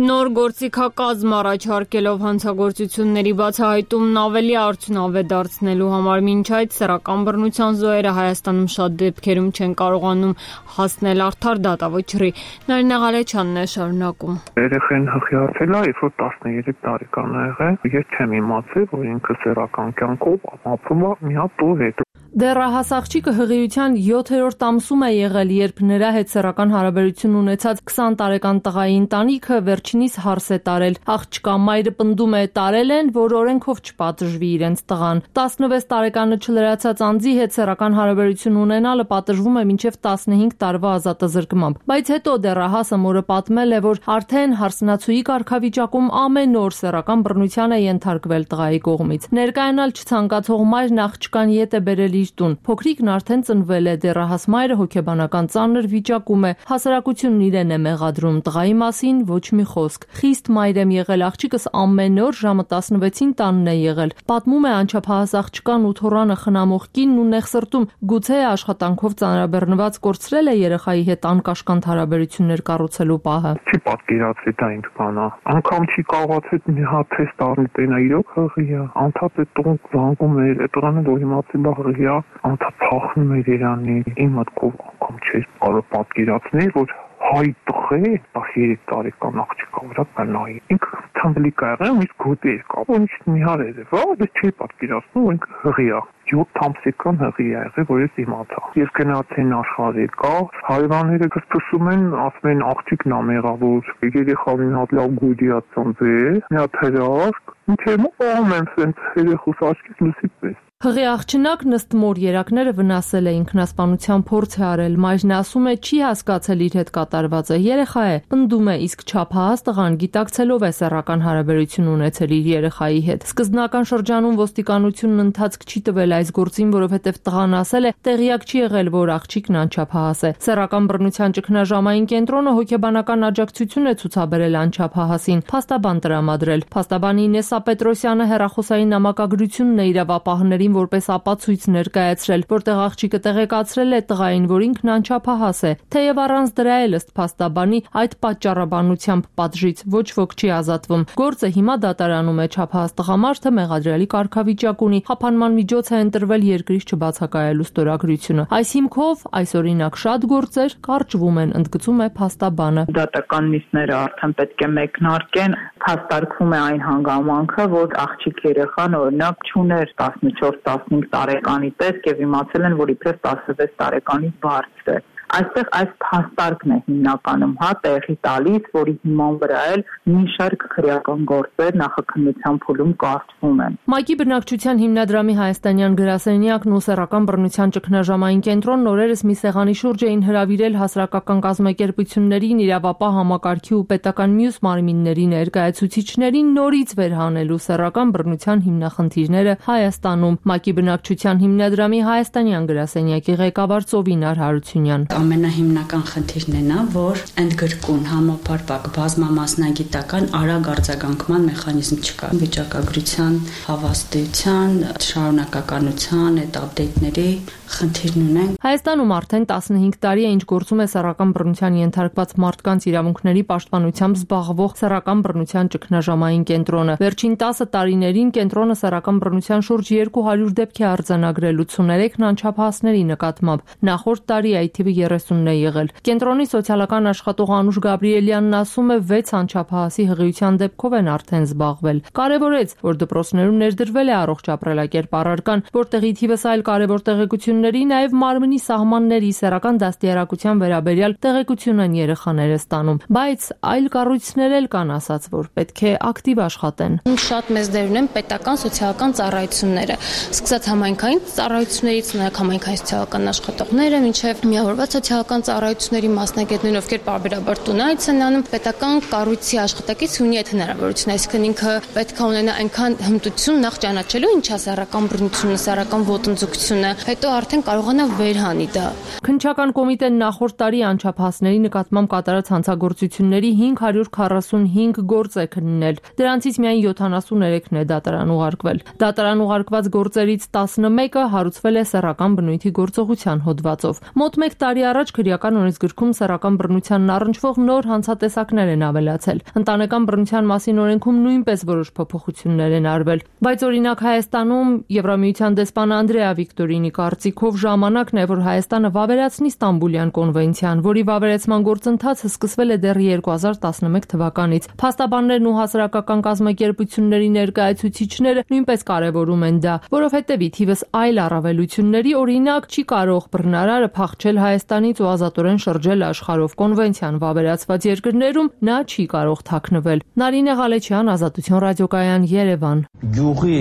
նոր գործիքակազմ առաջարկելով հանցագործությունների բացահայտումն ավելի արդյունավետ դարձնելու համար։ Մինչ այդ սեռական բռնության զոհերը Հայաստանում շատ դեպքերում չեն կարողանում հասնել արդար դատավճռի։ Նարինե Ղալեչյանն է շարունակում։ Երեխեն հղիացել է, երբ որ 13 տարեկան է եղել, ես չեմ իմացել, որ ինքը սեռական կյանքով ապրում է մի հատ տու հետ։ Դեռահաս աղջիկը հղիության 7-րդ ամսում է եղել, երբ նրա հետ սեռական հարաբերություն ունեցած 20 տարեկան տղայի ընտանիքը վերջինիս հարս է տարել։ Աղջկա մայրը պնդում է տարել են, որ օրենքով չպատժվի իրենց տղան։ 16 տարեկանը չլրացած անձի հետ սեռական հարաբերություն ունենալը պատժվում է մինչև 15 տարվա ազատազրկմամբ։ Բայց հետո դեռահասը մորը պատմել է, որ արդեն հարսնացուի կարգավիճակում ամեն օր սեռական բռնության է ենթարկվել տղայի կողմից։ Ներկայանալ չցանկացող մայրն աղջկան ետ է բերել իր տուն։ Փոքրիկն արդեն ծնվել է, դեռահաս մայրը հոգեբանական ծանր վիճակում է, հասարակությունն իրեն է մեղադրում, տղայի մասին ոչ մի խոսք։ Խիստ մայր եմ եղել, աղջիկս ամեն օր ժամը 16-ին տանն է եղել։ Պատմում է անչափահաս աղջկան ու թոռանը խնամող կինն ու նեղսրտում, գուցե աշխատանքով ծանրաբեռնված կորցրել է երեխայի հետ անկաշկանդ հարաբերություններ կառուցելու պահը։ Չի պատկերացրի դա ինչ բան է։ Անգամ չի կարողացել մի հատ թեստ առնել, տենա իրոք հղիա, անդադ է տուն զանգում էր, տղան որ իմացել բա հղիա, անդադ փախնում էր Իրանի։ Իմ մտքով անգամ չէր կարող պատկերացնել, որ հայ տղե 13 տարեկան աղջիկա վրա կնայի։ Ինքը թամբլիկ ա եղել, իսկ գոտի էր կապ, ինչ նիհար էր, դա չի պատկերացնում, որ ինքը հղիա։ 7 ամսական հղի ա եղել, որ ես իմացա։ Ես գնացին աշխարհի կա, հայվանները կսպասում են, ասում են աղջիկն ա մեղավոր, երեխան մի հատ լավ գույդիա ծնվել, մի հատ հրաշք, ինչ եմ անում եմ սենց երեխուս աչքից լուսի պես։ Հղի աղջնակ ըստ մոր երակները վնասել է, ինքնասպանության փորձ է արել, մայրն ասում է չի հասկացել իր հետ կատարվածը, երեխա է, պնդում է, իսկ չափահաս տղան գիտակցելով է սեռական հարաբերություն ունեցել իր երեխայի հետ։ Սկզբնական շրջանում ոստիկանությունն ընթացք չի տվել այս գործին, որովհետև տղան ասել է տեղյակ չի եղել, որ աղջիկն անչափահաս է։ Սեռական բռնության ճգնաժամային կենտրոնը հոգեբանական աջակցություն է ցուցաբերել անչափահասին, փաստաբան տրամադրել։ Փաստաբան Ինեսա Պետրոսյանը հեռախոսային նամակագրությունն է իրավապահներին որպես ապացույց ներկայացրել, որտեղ աղջիկը տեղեկացրել է տղային, որ ինքն անչափահաս է, թեև առանց դրա էլ ըստ փաստաբանի այդ պատճառաբանությամբ պատժից ոչ ոք չի ազատվում։ Գործը հիմա դատարանում է, չափահաս տղամարդը մեղադրյալի կարգավիճակ ունի, հափանման միջոց է ընտրվել երկրից չբացակայելու ստորագրությունը։ Այս հիմքով այս օրինակ շատ գործեր կարճվում են, ընդգծում է փաստաբանը։ Դատական նիստները արդեն պետք է մեկնարկեն, փաստարկվում է այն հանգամանքը, որ աղջիկ երեխան օրինակ չուներ 14-15 տարեկանի տեսք եւ իմացել են, որ իբրև 16 տարեկանից բարձր է։ Այստեղ այս փաստարկն է հիմնականում տեղի տալիս, որի հիման վրա էլ մի շարք քրեական գործեր նախաքննության փուլում կարգվում են։ ՄԱԿ-ի բնակչության հիմնադրամի հայաստանյան գրասենյակն ու սեռական բռնության ճգնաժամային կենտրոնն օրերս մի սեղանի շուրջ էին հրավիրել հասարակական կազմակերպություններին, իրավապահ համակարգի ու պետական մյուս մարմինների ներկայացուցիչներին նորից վերհանելու սեռական բռնության հիմնախնդիրները Հայաստանում։ ՄԱԿ-ի բնակչության հիմնադրամի հայաստանյան գրասենյակի ղեկավար Ծովինար Հարությունյան Ամենահիմնական խնդիրն է նա, որ ընդգրկուն համապարփակ բազմամասնագիտական արագ արձագանքման մեխանիզմ չկա։ Վիճակագրության, հավաստիության, շարունակականության, այդ ապդեյթների խնդիրն ունեն։ Հայաստանում արդեն 15 տարի է ինչ գործում է սեռական բռնության ենթարկված մարդկանց իրավունքների պաշտպանությամբ զբաղվող սեռական բռնության ճգնաժամային կենտրոնը։ Վերջին 10 տարիներին կենտրոնը սեռական բռնության շուրջ 200 դեպք է արձանագրել 83 անչափահասների նկատմամբ։ Նախորդ տարի այդ թիվը 30-ն է եղել։ Կենտրոնի սոցիալական աշխատող Անուշ Գաբրիելյանն ասում է 6 անչափահասի հղիության դեպքով են արդեն զբաղվել։ Կարևորեց, որ դպրոցներում ներդրվել է առողջ ապրելակերպ առարկան, որտեղի թիվս այլ կարևոր տեղեկությունների, նաև մարմնի սահմանների սեռական դաստիարակության վերաբերյալ տեղեկություն են երեխաները ստանում, բայց այլ կառույցներ էլ կան ասած, որ պետք է ակտիվ աշխատեն։ Շատ մեծ դեր ունեն պետական սոցիալական ծառայությունները, սկսած համայնքային ծառայություններից, նաև համայնքային սոցիալական աշխատողները, մինչև միավորված սոցիալական ծառայությունների մասնագետներ, ովքեր պարբերաբար տունայից են անում, պետական կառույցի աշխատակից ունի այդ հնարավորությունը, այսինքն ինքը պետք է ունենա այնքան հմտություն նախ ճանաչելու ինչա սեռական բռնությունը, սեռական ոտնձգությունը, հետո արդեն կառավարության կարողանա վերհանի դա։ Քննչական կոմիտեն նախորդ տարի անչափահասների նկատմամբ կատարած հանցագործությունների 545 գործ է քննել։ Դրանցից միայն 73-ն է դատարան ուղարկվել։ Դատարան ուղարկված գործերից 11-ը հարուցվել է սեռական բնույթի գործողության հոդվածով։ Մոտ 1 տարի առաջ քրեական օրենսգրքում սեռական բռնությանն առնչվող նոր հանցատեսակներ են ավելացել։ Ընտանեկան բռնության մասին օրենքում նույնպես որոշ փոփոխություններ են արվել։ Բայց օրինակ Հայաստանում Եվրամիության դեսպան Անդրեա Վիկտորինի կարծիքով ժամանակն է, որ Հայաստանը վավերացնի Ստամբուլյան կոնվենցիան, որի վավերացման գործընթացը սկսվել է դեռ 2011 թվականից։ Փաստաբաններն ու հասարակական կազմակերպությունների ներկայացուցիչները նույնպես կարևորում են դա, որովհետև ի թիվս այլ առավելությունների, օրինակ, չի կարող բռնարարը փախչել Հայաստանից ու ազատորեն շրջել աշխարհով։ Կոնվենցիան վավերացված երկրներում նա չի կարող թաքնվել։ Նարինե Ղալեչյան, Ազատություն ռադիոկայան, Երևան։ Գյուղի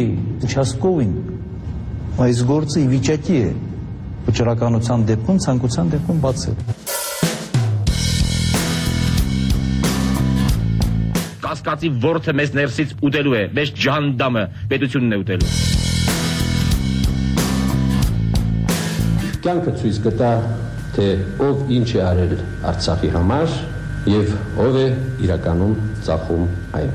участковին այս գործը ի վիճակի է վճռականության դեպքում, ցանկության դեպքում բացել։ Կասկածի ворթը մեզ ներսից ուտելու է, մեզ ջանդամը պետությունն է ուտելու։ Կյանքը ցույց կտա, թե ով ինչ է արել Արցախի համար եւ ով է իրականում ծախում այն։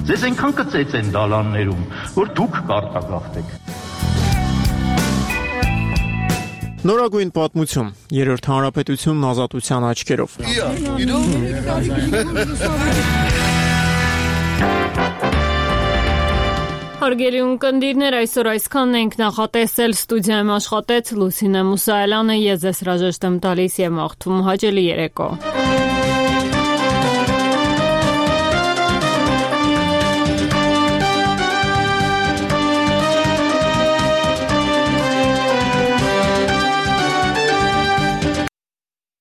Ձեզ այնքան կծեց են դալաններում, որ դուք կարտագաղթեք։ Նորագույն պատմություն, երրորդ հանրապետությունն ազատության աչքերով։ Հարգելի ունկնդիրներ, այսօր այսքանն ենք նախատեսել, ստուդիայում աշխատեց Լուսինե Մուսայելյանը, ես ձեզ հրաժեշտ եմ տալիս եւ մաղթում հաճելի երեկո։